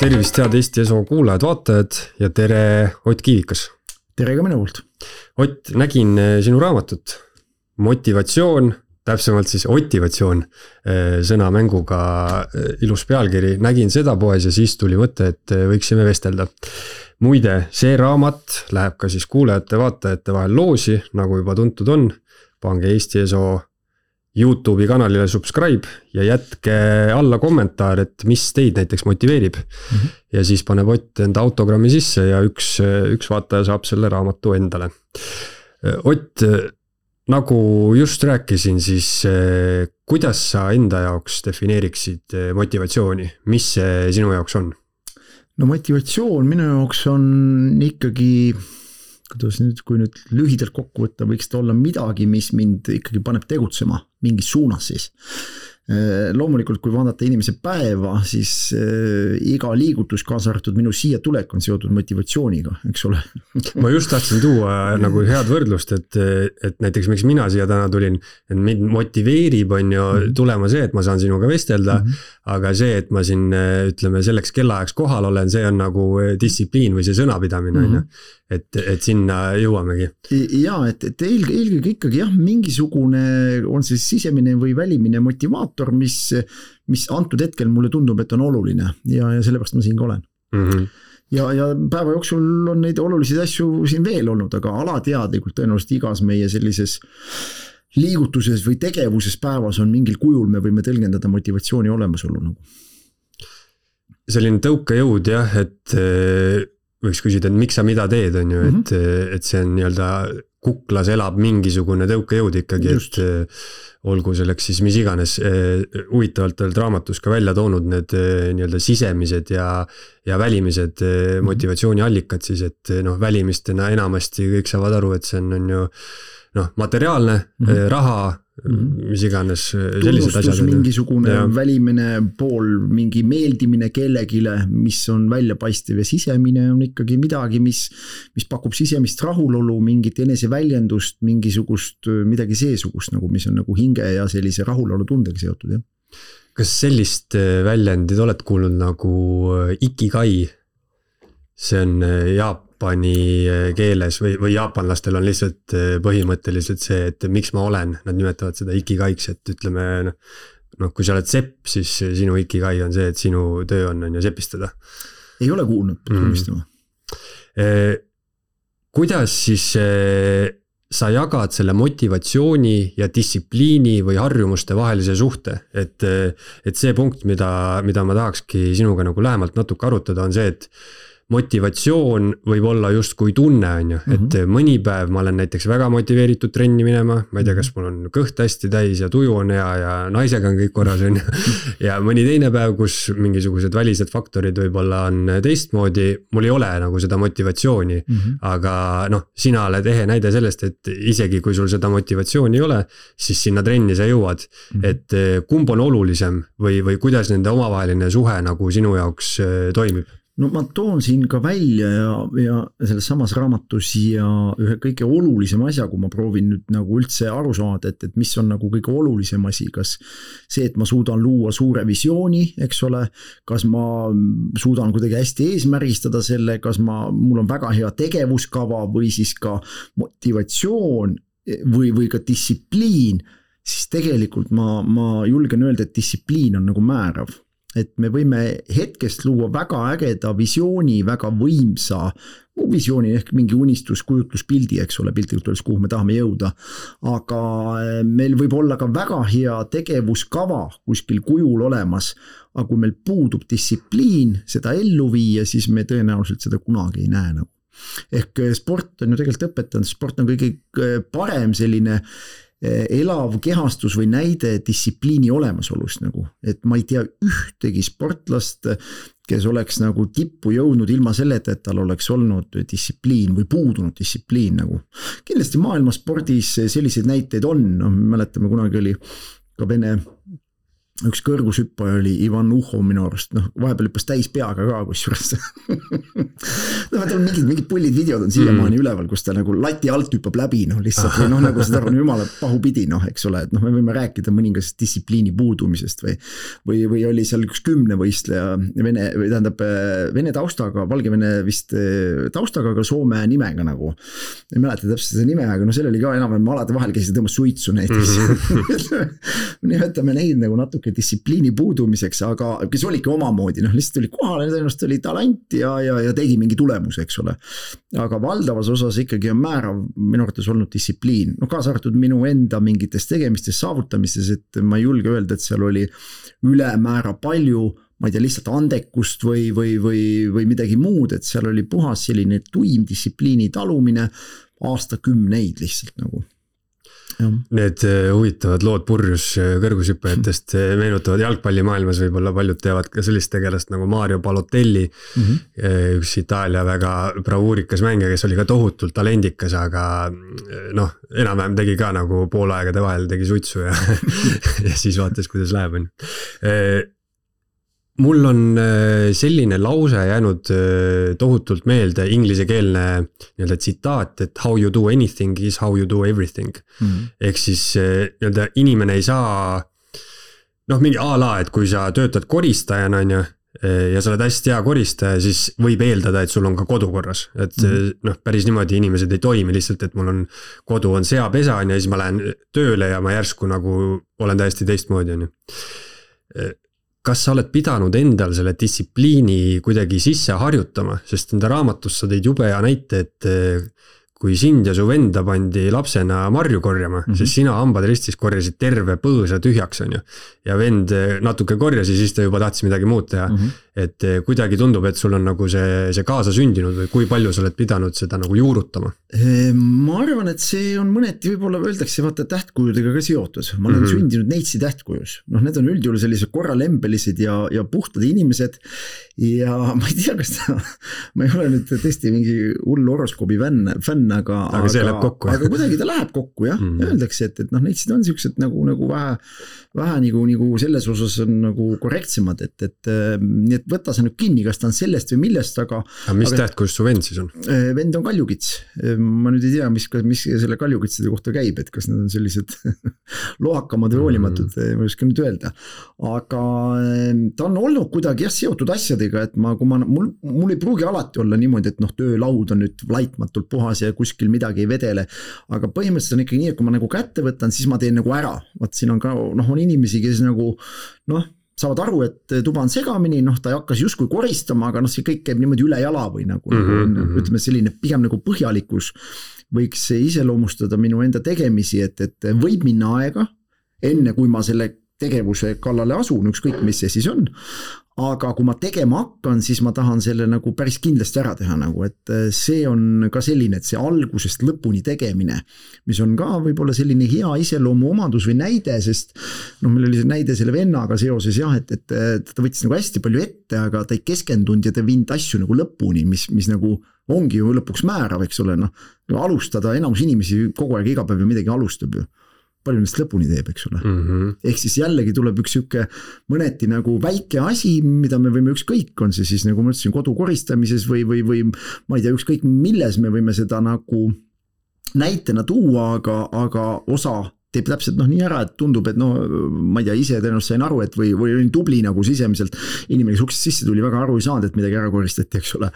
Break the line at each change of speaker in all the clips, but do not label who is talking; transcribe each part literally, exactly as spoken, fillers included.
tervist, head Eesti Eso kuulajad, vaatajad ja tere Ott Kiivikas.
Tere ka minu poolt.
Ott, nägin sinu raamatut Motivatsioon, täpsemalt siis Otivatsioon, sõnamänguga ilus pealkiri. Nägin seda poes ja siis tuli mõte, et võiksime vestelda. Muide, see raamat läheb ka siis kuulajate, vaatajate vahel loosi, nagu juba tuntud on. Pange Eesti Eso YouTube'i kanalile subscribe ja jätke alla kommentaar, et mis teid näiteks motiveerib. Mm-hmm. Ja siis paneb Ott enda autogrammi sisse ja üks, üks vaataja saab selle raamatu endale. Ott, nagu just rääkisin, siis kuidas sa enda jaoks defineeriksid motivatsiooni? Mis see sinu jaoks on?
No motivatsioon minu jaoks on ikkagi, kuidas nüüd, kui nüüd lühidalt kokku võtta, võiks ta olla midagi, mis mind ikkagi paneb tegutsema mingis suunas siis. Loomulikult, kui vaadata inimese päeva, siis iga liigutus kaasa arvatud minu siia tulek on seotud motivatsiooniga, eks ole.
Ma just tahtsin tuua nagu head võrdlust, et, et näiteks miks mina siia täna tulin, et mind motiveerib on ju tulema see, et ma saan sinuga vestelda, mm-hmm. aga see, et ma siin ütleme selleks kellaajaks kohal olen, see on nagu distsipliin või see sõnapidamine, mm-hmm. et, et sinna jõuamegi.
Ja, et, et eelkõige, eelkõige ikkagi jah, mingisugune on see sisemine või välimine motivaator, mis, mis antud hetkel mulle tundub, et on oluline ja, ja sellepärast ma siin ka olen. Mm-hmm. Ja, ja päeva jooksul on neid olulisi asju siin veel olnud, aga alateadlikult tõenäoliselt igas meie sellises liigutuses või tegevuses päevas on mingil kujul, me võime tõlgendada motivatsiooni olemasolu.
Selline tõukejõud jah, et võiks küsida, et miks sa mida teed on ju, mm-hmm. et, et see on nii-öelda kuklas elab mingisugune tõukejõud ikkagi, Just. et olgu selleks siis mis iganes. Huvitavalt oled raamatus ka välja toonud need nii-öelda sisemised ja, ja välimised mm-hmm. motivatsiooniallikad siis, et noh, välimistena enamasti kõik saavad aru, et see on, on ju noh, materiaalne, mm-hmm. raha, mm-hmm. mis iganes sellised asjad.
Mingisugune ja. Välimine pool, mingi meeldimine kellegile, mis on väljapaistev ja sisemine on ikkagi midagi, mis, mis pakub sisemist rahulolu, mingit eneseväljendust, mingisugust midagi seesugust, nagu, mis on nagu hinge ja sellise rahulolu tundega seotud. Ja.
Kas sellist väljendid oled kuulnud nagu ikigai? See on jaapani keeles või, või jaapanlastel on lihtsalt põhimõtteliselt see, et miks ma olen, nad nimetavad seda ikigaiks, et ütleme, noh, kui sa oled sepp, siis sinu ikigai on see, et sinu töö on, on ju sepistada.
Ei ole kuulnud, tunnistama.
Mm. Kuidas siis sa jagad selle motivatsiooni ja distsipliini või harjumuste vahelise suhte, et, et see punkt, mida, mida ma tahakski sinuga nagu lähemalt natuke arutada, on see, et motivatsioon võib olla just kui tunne on ju, et mm-hmm. mõni päev ma olen näiteks väga motiveeritud trenni minema, ma ei tea, kas mul on kõht hästi täis ja tuju on hea ja naisega on kõik korras on ju. Ja mõni teine päev, kus mingisugused välised faktorid võib-olla on teistmoodi, mul ei ole nagu seda motivatsiooni, mm-hmm. aga noh, sina oled ehe näide sellest, et isegi kui sul seda motivatsiooni ei ole, siis sinna trenni sa jõuad, mm-hmm. et kumb on olulisem või, või kuidas nende omavaheline suhe nagu sinu jaoks toimib?
No ma toon siin ka välja ja, ja selles samas raamatus ja ühe kõige olulisem asja, kui ma proovin nüüd nagu üldse aru saada, et, et mis on nagu kõige olulisem asi, kas see, et ma suudan luua suure visiooni, eks ole, kas ma suudan kuidagi hästi eesmärgistada selle, kas ma, mul on väga hea tegevuskava või siis ka motivatsioon või, või ka distsipliin, siis tegelikult ma, ma julgen öelda, et distsipliin on nagu määrav. Et me võime hetkest luua väga ägeda visiooni, väga võimsa visiooni ehk mingi unistus, kujutluspildi, eks ole, piltlikult öeldes, kuhu me tahame jõuda. Aga meil võib olla ka väga hea tegevuskava kuskil kujul olemas, aga kui meil puudub distsipliin seda ellu viia, siis me tõenäoliselt seda kunagi ei näe nagu. Ehk sport on ju tegelikult õpetanud, sport on kõige parem selline elav kehastus või näide distsipliini olemasolust nagu, et ma ei tea ühtegi sportlast, kes oleks nagu tippu jõudnud ilma selleta, et tal oleks olnud distsipliin või puudunud distsipliin nagu. Kindlasti maailmaspordis selliseid näiteid on, no, mäletame kunagi oli ka Vene üks kõrgushüppaja oli Ivan Uhho minu arust, noh vahepeal hüppas täis peaga ka kusjuures no tal on mingid, mingid pullid videod on siiamaani mm. üleval, kus ta nagu lati alt hüppab läbi, noh lihtsalt või noh nagu seda on jumala pahupidi, noh eks ole, et noh me võime rääkida mõningasest distsipliini puudumisest või või, või oli seal üks kümnevõistleja vene, või tähendab vene taustaga, Valgevene vist taustaga, aga Soome nimega nagu ei mäleta täpselt seda nime, aga no seal oli ka enam, ma alati vahel käisin tõmbas suitsu näiteks mm. nimetame neid nagu natuke distsipliini puudumiseks, aga kes oligi omamoodi, noh lihtsalt oli kohale, tõenäoliselt oli talent ja, ja, ja tegi mingi tulemus, eks ole. Aga valdavas osas ikkagi on määrav minu arvates olnud distsipliin, no kaasa arvatud minu enda mingites tegemistes, saavutamistes, et ma ei julge öelda, et seal oli ülemäära palju, ma ei tea, lihtsalt andekust või, või, või, või midagi muud, et seal oli puhas selline tuim distsipliini talumine aastakümneid lihtsalt nagu. Ja.
Need huvitavad lood purjus kõrgushüppajatest meenutavad jalgpallimaailmas, võib-olla paljud teavad ka sellist tegelast nagu Mario Balotelli, mm-hmm. üks Itaalia väga bravuurikas mängija, kes oli ka tohutult talendikas, aga noh, enam-vähem tegi ka nagu poolaegade vahel tegi suitsu ja, ja siis vaatas, kuidas läheb. Mul on selline lause jäänud tohutult meelde, inglisekeelne nii-öelda tsitaat, et how you do anything is how you do everything. Mm. Ehk siis nii-öelda inimene ei saa, noh mingi a la, et kui sa töötad koristajana on ju, ja sa oled hästi hea koristaja, siis võib eeldada, et sul on ka kodu korras. Et mm. noh, päris niimoodi inimesed ei toimi lihtsalt, et mul on kodu on seapesa ja siis ma lähen tööle ja ma järsku nagu olen täiesti teistmoodi on ju. Kas sa oled pidanud endal selle distsipliini kuidagi sisse harjutama, sest enda raamatus sa tõid jube ja näite, et kui sind ja su venda pandi lapsena marju korjama, mm-hmm. sest sina hambad ristis korjasid terve põõsa tühjaks on ju. Ja vend natuke korjas ja siis ta juba tahtis midagi muud teha. Mm-hmm. Et kuidagi tundub, et sul on nagu see, see kaasa sündinud või kui palju sa oled pidanud seda nagu juurutama?
Ma arvan, et see on mõneti võib-olla öeldakse vaata tähtkujudega ka seotud. Ma olen mm-hmm. sündinud neitsi tähtkujus. Noh, need on üldjuhul sellised korralembelised ja, ja puhtad inimesed ja ma ei tea, kas ta, ma ei ole nüüd tõesti mingi hull horoskoobi fänn, fänn aga,
aga, aga,
kokku, aga kuidagi ta läheb kokku jah, mm-hmm. öeldakse, et, et noh, neitsid on siuksed nagu, nagu vähe, vähe nagu, nagu selles osas on nagu korrektsemad, et, et nii et võta sa nüüd kinni, kas ta on sellest või millest, aga
aga mis tähtkujus su vend siis on?
Vend on kaljukits, ma nüüd ei tea, mis, mis selle kaljukitside kohta käib, et kas need on sellised lohakamad või hoolimatud mm-hmm. ma ei oska nüüd öelda, aga ta on olnud kuidagi jah, seotud asjadega, et ma, kui ma, mul, mul ei pruugi alati olla niimoodi, et noh, töölaud on nüüd laitmatult puhas ja kuskil midagi ei vedele, aga põhimõtteliselt on ikkagi nii, et kui ma nagu kätte võtan, siis ma teen nagu ära, vaat siin on ka, noh, on inimesi, kes nagu, noh, saavad aru, et tuba on segamini, noh, ta ei hakkas justkui koristama, aga noh, see kõik käib niimoodi üle jala või nagu, mm-hmm. nagu ütleme selline pigem nagu põhjalikkus võiks iseloomustada minu enda tegemisi, et, et võib minna aega, enne kui ma selle tegevuse kallale asun, ükskõik mis see siis on, aga kui ma tegema hakkan, siis ma tahan selle nagu päris kindlasti ära teha nagu, et see on ka selline, et see algusest lõpuni tegemine, mis on ka võib-olla selline hea iseloomu omadus või näide, sest noh, meil oli see näide selle vennaga seoses jah, et, et ta võttis nagu hästi palju ette, aga ta ei keskendunud ja ta viinud asju nagu lõpuni, mis, mis nagu ongi ju lõpuks määrav, eks ole, noh, alustada, enamus inimesi kogu aeg iga päev ju midagi alustab ju. Palju nendest lõpuni teeb, eks ole. Mm-hmm. Ehk siis jällegi tuleb üks siuke mõneti nagu väike asi, mida me võime ükskõik, on see siis nagu ma ütlesin kodu koristamises või, või, või ma ei tea, ükskõik milles me võime seda nagu näitena tuua, aga, aga osa teeb täpselt noh nii ära, et tundub, et no ma ei tea, ise tõenäoliselt sain aru, et või, või olin tubli nagu sisemiselt, inimene, kes uksest sisse tuli, väga aru ei saanud, et midagi ära koristati, eks ole.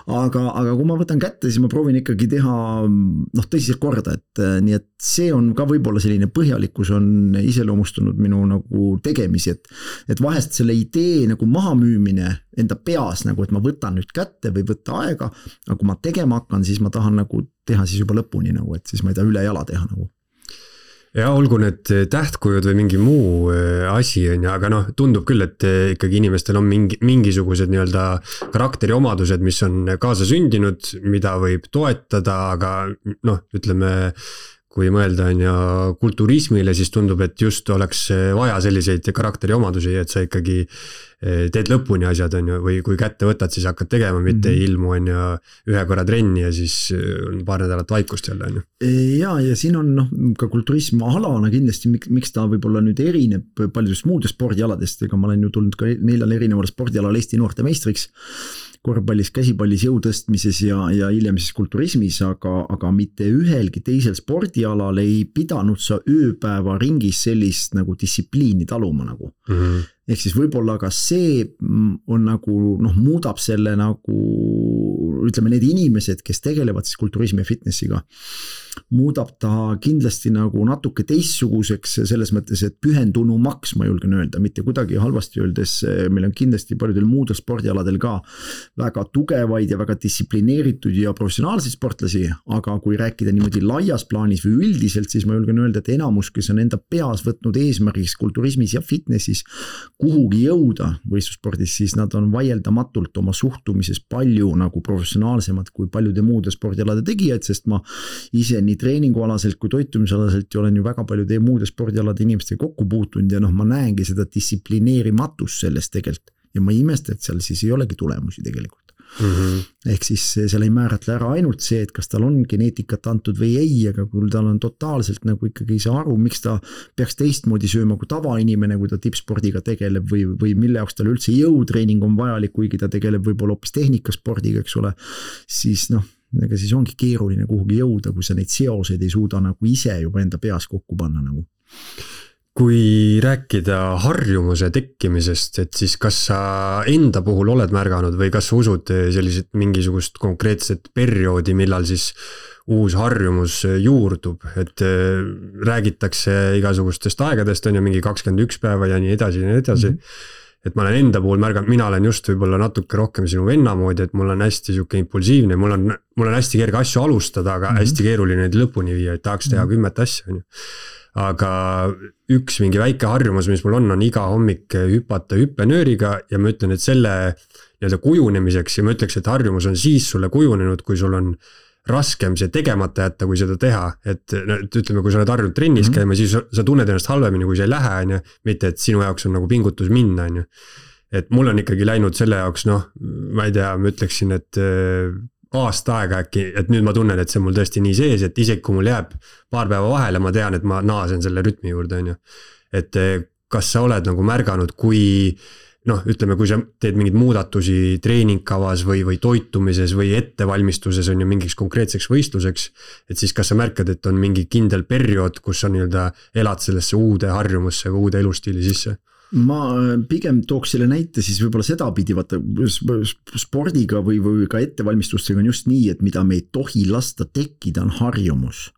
Aga, aga kui ma võtan kätte, siis ma proovin ikkagi teha noh, tõsiselt korda, et nii et see on ka võib-olla selline põhjalikkus on iseloomustunud minu nagu tegemisi, et, et vahest selle idee nagu mahamüümine enda peas nagu, et ma võtan nüüd kätte või võtta aega, aga kui ma tegema hakkan, siis ma tahan nagu teha siis juba lõpuni nagu, et siis ma ei taha üle jala teha nagu.
Ja olgu need tähtkujud või mingi muu asi on ja, aga noh, tundub küll, et ikkagi inimestel on mingi, mingisugused nii-öelda karakteriomadused, mis on kaasa sündinud, mida võib toetada, aga noh, ütleme, kui mõelda on ja kulturismile, siis tundub, et just oleks vaja selliseid karakteri omadusi, et sa ikkagi teed lõpuni asjad on ju, või kui kätte võtad, siis hakkad tegema, mitte mm -hmm. ilmu on ju ühe korra trenni ja siis on paar nädalat vaikust jälle on ju.
Ja, ja siin on noh, ka kulturism alana kindlasti, miks ta võib-olla nüüd erineb paljudest muudest spordialadest, ega ma olen ju tulnud ka neljal erineval spordialal Eesti noorte meistriks, korvpallis, käsipallis, jõutõstmises ja, ja hiljem siis kulturismis, aga, aga mitte ühelgi teisel spordialal ei pidanud sa ööpäeva ringis sellist nagu distsipliini taluma nagu. Mm -hmm. Ehk siis võib-olla ka see on nagu noh, muudab selle nagu ütleme need inimesed, kes tegelevad siis kulturismi ja fitnessiga, muudab ta kindlasti nagu natuke teistsuguseks selles mõttes, et pühendunumaks, ma julgen öelda, mitte kuidagi halvasti öeldes, meil on kindlasti paljudel muudel spordialadel ka väga tugevaid ja väga distsiplineeritud ja professionaalseid sportlasi, aga kui rääkida niimoodi laias plaanis või üldiselt, siis ma julgen öelda, et enamus, kes on enda peas võtnud eesmärgiks kulturismis ja fitnessis kuhugi jõuda võistlusspordis, siis nad on vaieldamatult oma suhtumises palju nagu professionaalsemad kui paljude muude spordialade tegijad, sest ma ise nii treeningualaselt kui toitumisalaselt olen ju väga paljude muude spordialade inimestega kokku puutunud ja noh, ma näengi seda distsiplineerimatust sellest tegelikult ja ma ei imesta, et seal siis ei olegi tulemusi tegelikult. Mm -hmm. Ehk siis seal ei määratle ära ainult see, et kas tal on geneetikat antud või ei, aga kui tal on totaalselt nagu ikkagi ei saa aru, miks ta peaks teistmoodi sööma kui tavainimene, kui ta tippspordiga tegeleb või, või mille jaoks tal üldse jõutreening on vajalik, kuigi ta tegeleb võib-olla hoopis tehnikaspordiga, eks ole, siis noh, ega siis ongi keeruline kuhugi jõuda, kui sa neid seoseid ei suuda nagu ise juba enda peas kokku panna nagu.
Kui rääkida harjumuse tekkimisest, et siis kas sa enda puhul oled märganud või kas sa usud sellised mingisugust konkreetset perioodi, millal siis uus harjumus juurdub, et räägitakse igasugustest aegadest, on ju mingi kakskümmend üks päeva ja nii edasi ja nii edasi. Mm -hmm. Et ma olen enda puhul märganud, mina olen just võib-olla natuke rohkem sinu venna moodi, et mul on hästi siuke impulsiivne, mul on, mul on hästi kerge asju alustada, aga mm -hmm. hästi keeruline neid lõpuni viia, et tahaks teha kümmet asja, on ju. Aga üks mingi väike harjumus, mis mul on, on iga hommik hüpata hüppenööriga ja ma ütlen, et selle nii-öelda kujunemiseks ja ma ütleks, et harjumus on siis sulle kujunenud, kui sul on raskem see tegemata jätta, kui seda teha, et ütleme, kui sa oled harjunud trennis mm-hmm. käima, siis sa tunned ennast halvemini, kui sa ei lähe, on ju, mitte et sinu jaoks on nagu pingutus minna, on ju. Et mul on ikkagi läinud selle jaoks, noh, ma ei tea, ma ütleksin, et aasta aega äkki, et nüüd ma tunnen, et see on mul tõesti nii sees, et isegi kui mul jääb paar päeva vahele, ma tean, et ma naasen selle rütmi juurde, on ju. Et kas sa oled nagu märganud, kui noh, ütleme, kui sa teed mingeid muudatusi treeningkavas või, või toitumises või ettevalmistuses on ju mingiks konkreetseks võistluseks, et siis kas sa märkad, et on mingi kindel periood, kus sa nii-öelda elad sellesse uude harjumusse või uude elustiili sisse?
Ma pigem tooks selle näite siis võib-olla sedapidi, vaata spordiga või, või ka ettevalmistustega on just nii, et mida me ei tohi lasta tekkida, on harjumus.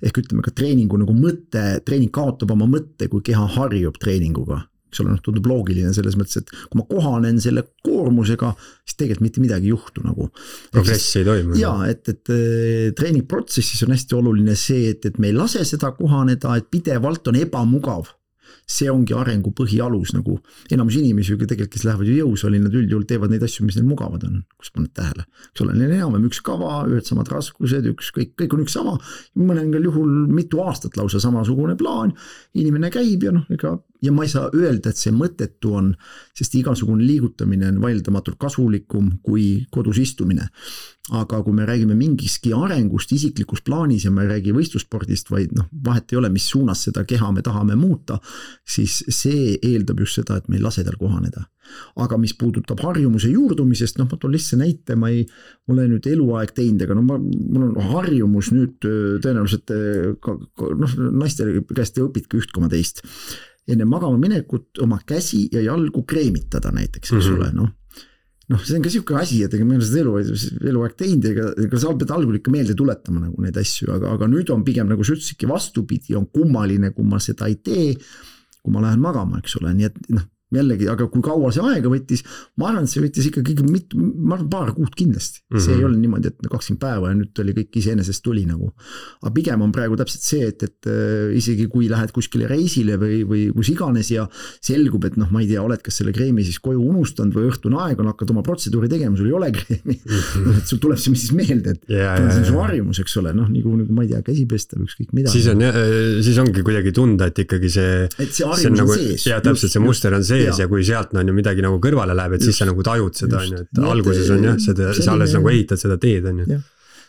Ehk ütleme ka treeningu nagu mõte, treening kaotab oma mõtte, kui keha harjub treeninguga. Eks ole, tundub loogiline selles mõttes, et kui ma kohanen selle koormusega, siis tegelikult mitte midagi ei juhtu nagu.
Progressi ei toimu.
Jaa, et, et treeningprotsessis on hästi oluline see, et, et me ei lase seda kohaneda, et pidevalt on ebamugav. See ongi arengu põhialus nagu enamus inimesi, tegelikult, kes lähevad ju jõusaali, nad üldjuhul teevad neid asju, mis neil mugavad on, kus paned tähele. Eks ole, neil enam üks kava, ühed samad raskused, üks, kõik, kõik on üks sama, mõnengal juhul mitu aastat lausa samasugune plaan, inimene käib ja noh, ega ja ma ei saa öelda, et see mõttetu on, sest igasugune liigutamine on vaildamatult kasulikum kui kodus istumine. Aga kui me räägime mingiski arengust isiklikus plaanis ja me ei räägi võistlusspordist, vaid noh, vahet ei ole, mis suunas seda keha me tahame muuta, siis see eeldab just seda, et me ei lase tal kohaneda. Aga mis puudutab harjumuse juurdumisest, noh, ma toon lihtsalt näite, ma ei ole nüüd eluaeg teinud, aga no ma, mul on harjumus nüüd tõenäoliselt noh, naiste käest õpidki üht koma teist. Enne magama minekut oma käsi ja jalgu kreemitada näiteks, eks mm-hmm. ole, noh. Noh, see on ka siuke asi, et ega me olen seda elu, eluaeg teinud, ega, ega sa pead algul ikka meelde tuletama nagu neid asju, aga, aga nüüd on pigem nagu sa ütlesidki vastupidi, on kummaline, kui ma seda ei tee, kui ma lähen magama, eks ole, nii et noh, jällegi, aga kui kaua see aega võttis, ma arvan, et see võttis ikkagi mitu, ma arvan, paar kuud kindlasti. Mm -hmm. See ei ole niimoodi, et kakskümmend päeva ja nüüd oli kõik iseenesest tuli nagu. Aga pigem on praegu täpselt see, et, et isegi kui lähed kuskile reisile või, või kus iganes ja selgub, et noh, ma ei tea, oled kas selle kreemi siis koju unustanud või õhtune aeg on, hakkad oma protseduuri tegema, sul ei ole kreemi. Mm -hmm. et sul tuleb see siis meelde, et yeah, see on su harjumus, eks ole, noh, nagu, nagu ma ei tea, käsi pesta või ükskõik mida.
Siis on, siis ongi kuidagi tunda, et ikkagi see,
et see harjumus on, nagu, on sees.
Ja täpselt see muster on sees ja, ja kui sealt on ju midagi nagu kõrvale läheb, et just, siis sa nagu tajud seda, on ju, et nii, alguses on jah, seda, selline, sa alles nagu ehitad seda teed, on ju.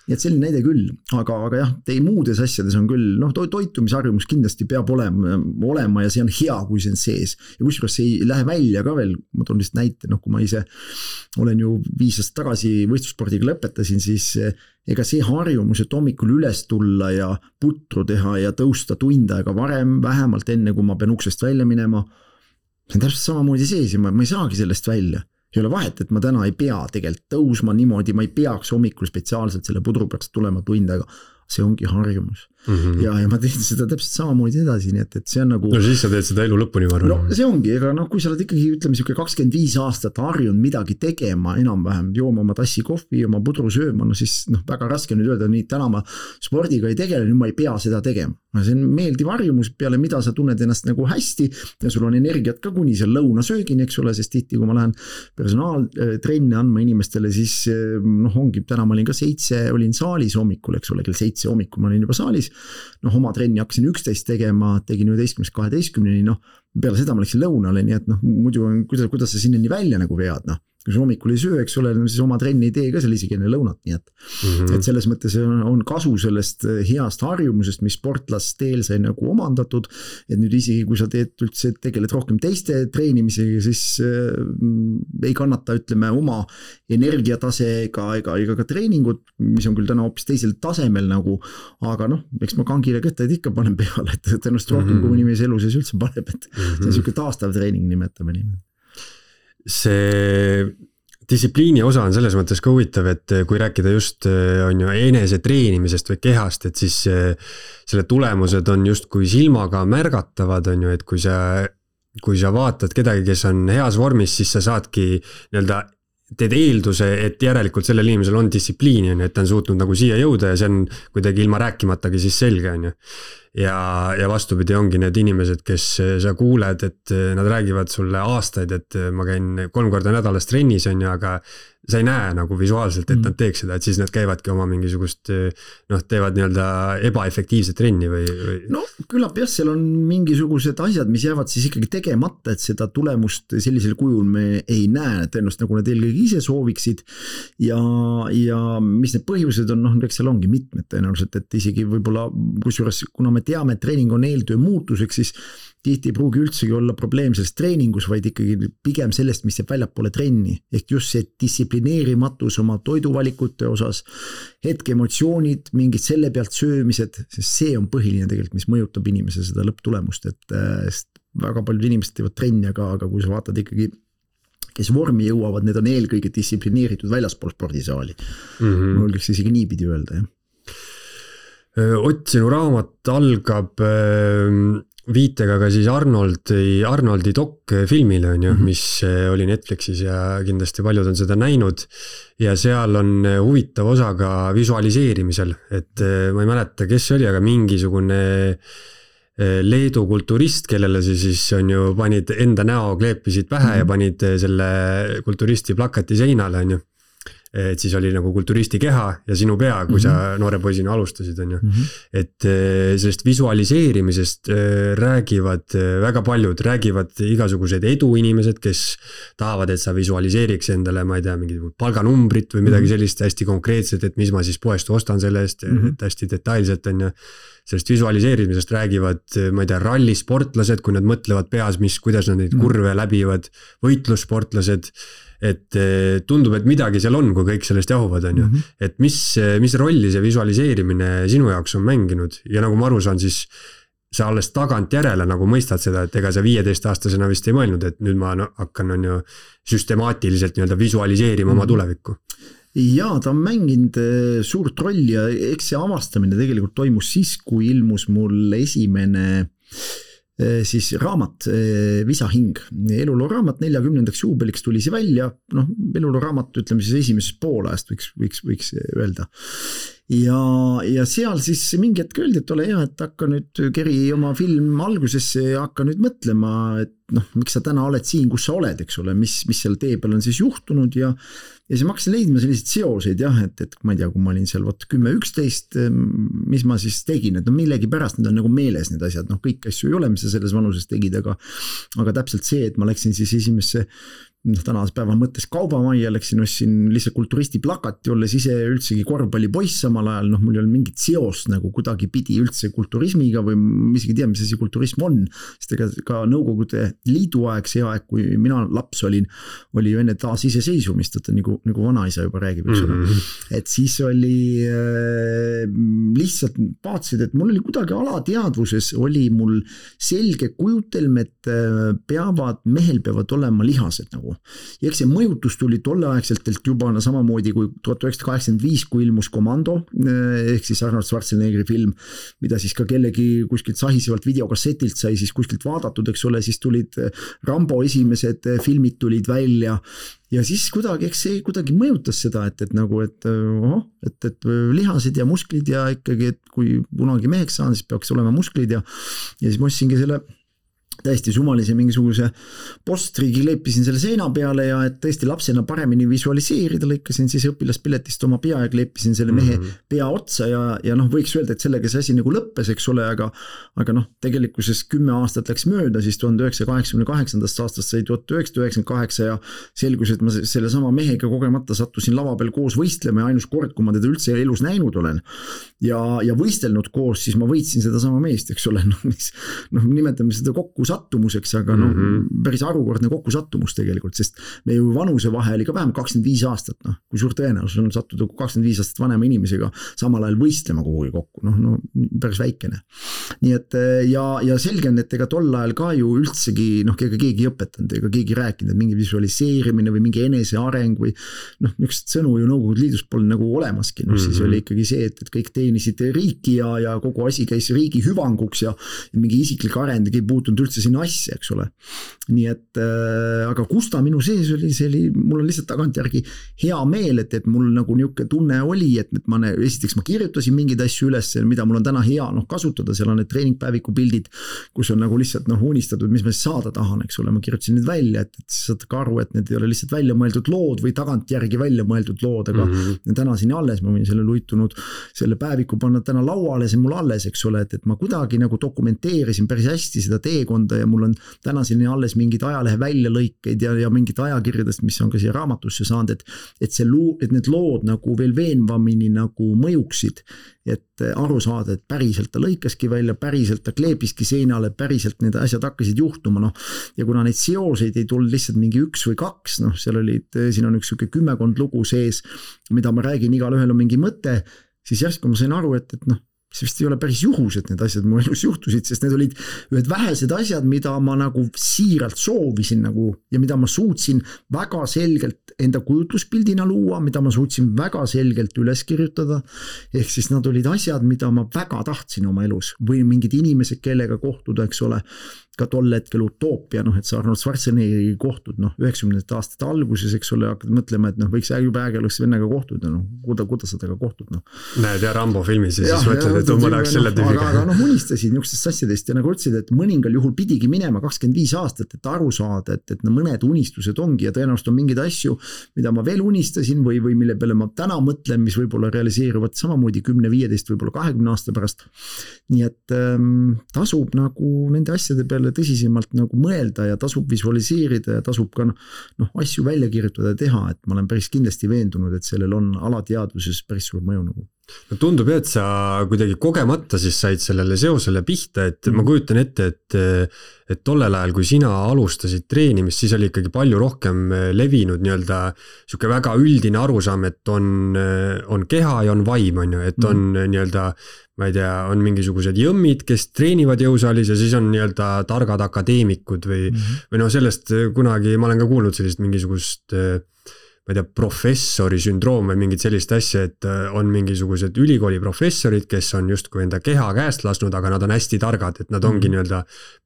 Nii et selline näide küll, aga, aga jah, tei muudes asjades on küll, noh, toitumisharjumus kindlasti peab olema, olema ja see on hea, kui see on sees. Ja kusjuures see ei lähe välja ka veel, ma toon lihtsalt näite, noh, kui ma ise olen ju viis aastat tagasi võistlusspordiga lõpetasin, siis ega see harjumus, et hommikul üles tulla ja putru teha ja tõusta tund aega varem, vähemalt enne, kui ma pean uksest välja minema, see on täpselt samamoodi sees ja ma, ma ei saagi sellest välja. Ei ole vahet, et ma täna ei pea tegelikult tõusma niimoodi, ma ei peaks hommikul spetsiaalselt selle pudru peaks tulema tund aega. See ongi harjumus. Mm -hmm. ja, ja ma teen seda täpselt samamoodi edasi, nii et, et see on nagu...
No siis sa teed seda elu lõpuni, ma arvan.
No see ongi, ega noh, kui sa oled ikkagi, ütleme, siuke kakskümmend viis aastat harjunud midagi tegema enam-vähem, jooma oma tassi kohvi, oma pudru sööma, no siis noh, väga raske nüüd öelda, nii täna ma spordiga ei tegele, nüüd ma ei pea seda tegema. See on meeldiv harjumus, peale mida sa tunned ennast nagu hästi ja sul on energiat ka kuni seal lõunasöögini, eks ole, sest tihti, kui ma lähen personaaltrenne andma inimestele, siis noh, ongi, täna ma olin ka seitse, olin saalis hommikul, eks ole, kell seitse hommikul ma olin juba saalis, noh, oma trenni hakkasin üksteist tegema, tegin üheteistkümnest kaheteistkümneni, noh, peale seda ma läksin lõunale, nii et noh, muidu on, kuidas, kuidas sa sinnani välja nagu vead, noh. Kui sa hommikul ei söö, eks ole, siis oma trenni ei tee ka seal isegi enne lõunat, nii et, mm -hmm. et selles mõttes on, on kasu sellest heast harjumusest, mis sportlasteel sai nagu omandatud, et nüüd isegi kui sa teed üldse, tegeled rohkem teiste treenimisega, siis äh, ei kannata, ütleme, oma energiatase ega, ega, ega ka treeningud, mis on küll täna hoopis teisel tasemel nagu, aga noh, eks ma kangile kõtteid ikka panen peale, et tõenäoliselt rohkem mm -hmm. kui inimese elu sees üldse paneb, et mm -hmm. see on siuke taastav treening, nimetame nii.
See distsipliini osa on selles mõttes ka huvitav, et kui rääkida just on ju enese treenimisest või kehast, et siis selle tulemused on just kui silmaga märgatavad, on ju, et kui sa, kui sa vaatad kedagi, kes on heas vormis, siis sa saadki nii-öelda teed eelduse, et järelikult sellel inimesel on distsipliini, on ju, et ta on suutnud nagu siia jõuda ja see on kuidagi ilma rääkimatagi siis selge, on ju. Ja, ja vastupidi ongi need inimesed, kes sa kuuled, et nad räägivad sulle aastaid, et ma käin kolm korda nädalas trennis, on ju, aga sa ei näe nagu visuaalselt, et nad teeks seda, et siis nad käivadki oma mingisugust, noh, teevad nii-öelda ebaefektiivset trenni või, või...
No küllap jah, seal on mingisugused asjad, mis jäävad siis ikkagi tegemata, et seda tulemust sellisel kujul me ei näe, tõenäoliselt nagu need eelkõige ise sooviksid ja, ja mis need põhjused on, noh, eks seal ongi mitmed tõenäoliselt, et isegi võib-olla, kusjuures kuna me teame, et treening on eeltöö muutuseks, siis tihti ei pruugi üldsegi olla probleem selles treeningus, vaid ikkagi pigem sellest, mis jääb väljapoole trenni. Ehk just see distsiplineerimatus oma toiduvalikute osas, hetke emotsioonid, mingid selle pealt söömised, sest see on põhiline tegelikult, mis mõjutab inimese seda lõpptulemust, et väga paljud inimesed teevad trenni, aga, aga kui sa vaatad ikkagi, kes vormi jõuavad, need on eelkõige distsiplineeritud väljaspool spordisaali. Mm -hmm. Ma võiks isegi niipidi öelda, jah.
Ott, sinu raamat algab viitega ka siis Arnoldi, Arnoldi dok-filmile, on ju, mm -hmm. mis oli Netflixis ja kindlasti paljud on seda näinud. Ja seal on huvitav osa ka visualiseerimisel, et ma ei mäleta, kes oli, aga mingisugune Leedu kulturist, kellele see siis on ju, panid enda näo, kleepisid pähe mm -hmm. ja panid selle kulturisti plakati seinale, on ju. Et siis oli nagu kulturisti keha ja sinu pea, kui mm -hmm. sa noore poisina alustasid, on ju. Mm -hmm. Et sellest visualiseerimisest räägivad väga paljud, räägivad igasugused eduinimesed, kes tahavad, et sa visualiseeriks endale, ma ei tea, mingi palganumbrit või midagi sellist hästi konkreetset, et mis ma siis poest ostan selle eest, mm -hmm. et hästi detailselt, on ju. Sellest visualiseerimisest räägivad, ma ei tea, rallisportlased, kui nad mõtlevad peas, mis, kuidas nad neid kurve läbivad, võitlussportlased, et tundub, et midagi seal on, kui kõik sellest jahuvad, on ju. Mm -hmm. Et mis, mis rolli see visualiseerimine sinu jaoks on mänginud ja nagu ma aru saan, siis sa alles tagant järele nagu mõistad seda, et ega sa viieteistaastasena vist ei mõelnud, et nüüd ma hakkan, on ju, süstemaatiliselt nii-öelda visualiseerima mm -hmm. oma tulevikku.
Jaa, ta on mänginud suurt rolli ja eks see avastamine tegelikult toimus siis, kui ilmus mul esimene siis raamat Visahing, eluloo raamat neljakümnendaks juubeliks tuli see välja, noh eluloo raamat ütleme siis esimesest poolajast võiks, võiks, võiks öelda. Ja, ja seal siis mingi hetk öeldi, et ole hea, et hakka nüüd keri oma film algusesse ja hakka nüüd mõtlema, et noh, miks sa täna oled siin, kus sa oled, eks ole, mis, mis seal tee peal on siis juhtunud ja ja siis ma hakkasin leidma selliseid seoseid jah, et, et ma ei tea, kui ma olin seal võt kümme üksteist, mis ma siis tegin, et no millegi pärast need on nagu meeles need asjad, noh kõik asju ei ole, mis sa selles vanuses tegid, aga aga täpselt see, et ma läksin siis esimesse noh, tänase päeva mõttes kaubamajja, läksin, ostsin lihtsalt kulturisti plakati, olles ise üldsegi korvpallipoiss samal ajal, noh mul ei olnud mingit seost nagu kuidagi pidi üldse kulturismiga või ma isegi tea, mis asi kulturism on, sest ega ka Nõukogude Liidu aeg, see aeg, kui mina laps olin, oli ju enne taas iseseisvumist, et nagu, nagu vanaisa juba räägib, eks ole. Mm-hmm. Et siis oli äh, lihtsalt vaatasid, et mul oli kuidagi alateadvuses, oli mul selge kujutelm, et äh, peavad, mehel peavad olema lihased nagu. Ja eks see mõjutus tuli tolleaegselt juba no, samamoodi kui tuhat üheksasada kaheksakümmend viis, kui ilmus Komando, ehk siis Arnold Schwarzeneggeri film, mida siis ka kellegi kuskilt sahisevalt videokassetilt sai siis kuskilt vaadatud, eks ole, siis tulid Rambo esimesed filmid tulid välja ja siis kuidagi, eks see kuidagi mõjutas seda, et, et nagu, et, oh, et, et lihased ja musklid ja ikkagi, et kui kunagi meheks saan, siis peaks olema musklid ja, ja siis ma ostsingi selle täiesti sumalise mingisuguse postrigi leepisin selle seina peale ja et tõesti lapsena paremini visualiseerida, lõikasin siis õpilaspiletist oma pea ja kleepisin selle mehe mm-hmm. pea otsa ja, ja noh, võiks öelda, et sellega see asi nagu lõppes, eks ole, aga, aga noh, tegelikkuses kümme aastat läks mööda, siis tuhande üheksasaja kaheksakümne kaheksandast aastast sai tuhat üheksasada üheksakümmend kaheksa ja selgus, et ma selle sama mehega kogemata sattusin lava peal koos võistlema ja ainus kord, kui ma teda üldse elus näinud olen ja, ja võistelnud koos, siis ma võitsin seda sama meest, eks ole, noh, mis, noh nimetame seda kokku sattumuseks, aga no mm-hmm. päris arukordne kokku sattumus tegelikult, sest meie vanuse vahe oli ka vähem kakskümmend viis aastat, noh, kui suur tõenäosus on sattuda kakskümmend viis aastat vanema inimesega samal ajal võistlema kuhugi kokku, noh, no päris väikene. Nii et ja, ja selge on, et ega tol ajal ka ju üldsegi, noh, ega keegi ei õpetanud, ega keegi rääkinud, et mingi visualiseerimine või mingi eneseareng või noh, niisugust sõnu ju Nõukogude Liidus pole nagu olemaski, noh, mm-hmm. siis oli ikkagi see, et, et kõik teenisid riiki ja, ja kogu asi käis riigi hüvanguks ja, ja mingi isiklik arend ei puutunud üldse sinna asja, eks ole. Nii et, äh, aga kus ta minu sees oli, see oli, mul on lihtsalt tagantjärgi hea meel, et, et mul nagu niisugune tunne oli, et, et ma, esiteks ma kirjutasin mingeid asju üles, mida mul on täna hea noh, kasutada, seal on need treeningpäeviku pildid, kus on nagu lihtsalt noh, unistatud, mis ma saada tahan, eks ole, ma kirjutasin need välja, et, et saad ka aru, et need ei ole lihtsalt välja mõeldud lood või tagantjärgi välja mõeldud lood, aga mm-hmm. täna siin alles, ma võin selle luitunud, selle päeviku panna täna lauale, see mul alles, eks ole, et, et ma kuidagi nagu dokumenteerisin päris hästi seda teekonda ja mul on täna siin alles mingid ajalehe väljalõikeid ja, ja mingid ajakirjadest, mis on ka siia raamatusse saanud, et, et, see loo, et need lood nagu veel veenvamini nagu mõjuksid, et aru saada, et päriselt ta lõikaski välja, päriselt ta kleebiski seinale, päriselt need asjad hakkasid juhtuma, noh, ja kuna neid seoseid ei tulnud lihtsalt mingi üks või kaks, noh, seal olid, siin on üks siuke kümmekond lugu sees, mida ma räägin, igal ühel on mingi mõte, siis järsku ma sain aru, et, et noh, see vist ei ole päris juhus, et need asjad mu elus juhtusid, sest need olid ühed vähesed asjad, mida ma nagu siiralt soovisin nagu ja mida ma suutsin väga selgelt enda kujutluspildina luua, mida ma suutsin väga selgelt üles kirjutada. Ehk siis nad olid asjad, mida ma väga tahtsin oma elus või mingid inimesed, kellega kohtuda, eks ole, ka tol hetkel utoopia, noh, et sa Arnold Schwarzeneggeri kohtud, noh, üheksakümnendate aastate alguses, eks ole, hakkad mõtlema, et noh, võiks juba äge oleks vennaga kohtuda, noh, kuda, kuda sa temaga kohtud, noh.
Näed ja Rambo filmis ja siis mõtled, et ma läheks selle tüübiga.
Aga noh, unistasid niisugustest asjadest ja nagu ütlesid, et mõningal juhul pidigi minema kakskümmend viis aastat, et aru saada, et, et mõned unistused ongi ja tõenäoliselt on mingeid asju, mida ma veel unistasin või, või mille peale ma täna mõtlen, mis võib-olla realiseeruvad samamoodi kümne, viieteist, võib-olla kahekümne aasta pärast. Nii et ähm, tasub nagu nende asjade peale tõsisemalt nagu mõelda ja tasub visualiseerida ja tasub ka noh, asju välja kirjutada ja teha, et ma olen päris kindlasti veendunud, et sellel on alateadvuses päris suur mõju nagu.
No tundub, et sa kuidagi kogemata siis said sellele seosele pihta, et mm. ma kujutan ette, et, et tollel ajal, kui sina alustasid treenimist, siis oli ikkagi palju rohkem levinud nii-öelda siuke väga üldine arusaam, et on, on keha ja on vaim, on ju, et on mm. nii-öelda ma ei tea, on mingisugused jõmmid, kes treenivad jõusaalis ja siis on nii-öelda targad akadeemikud või, mm-hmm. või no sellest kunagi, ma olen ka kuulnud sellist mingisugust ma ei tea, professori sündroom või mingit sellist asja, et on mingisugused ülikooli professorid, kes on justkui enda keha käest lasknud, aga nad on hästi targad, et nad ongi mm. nii-öelda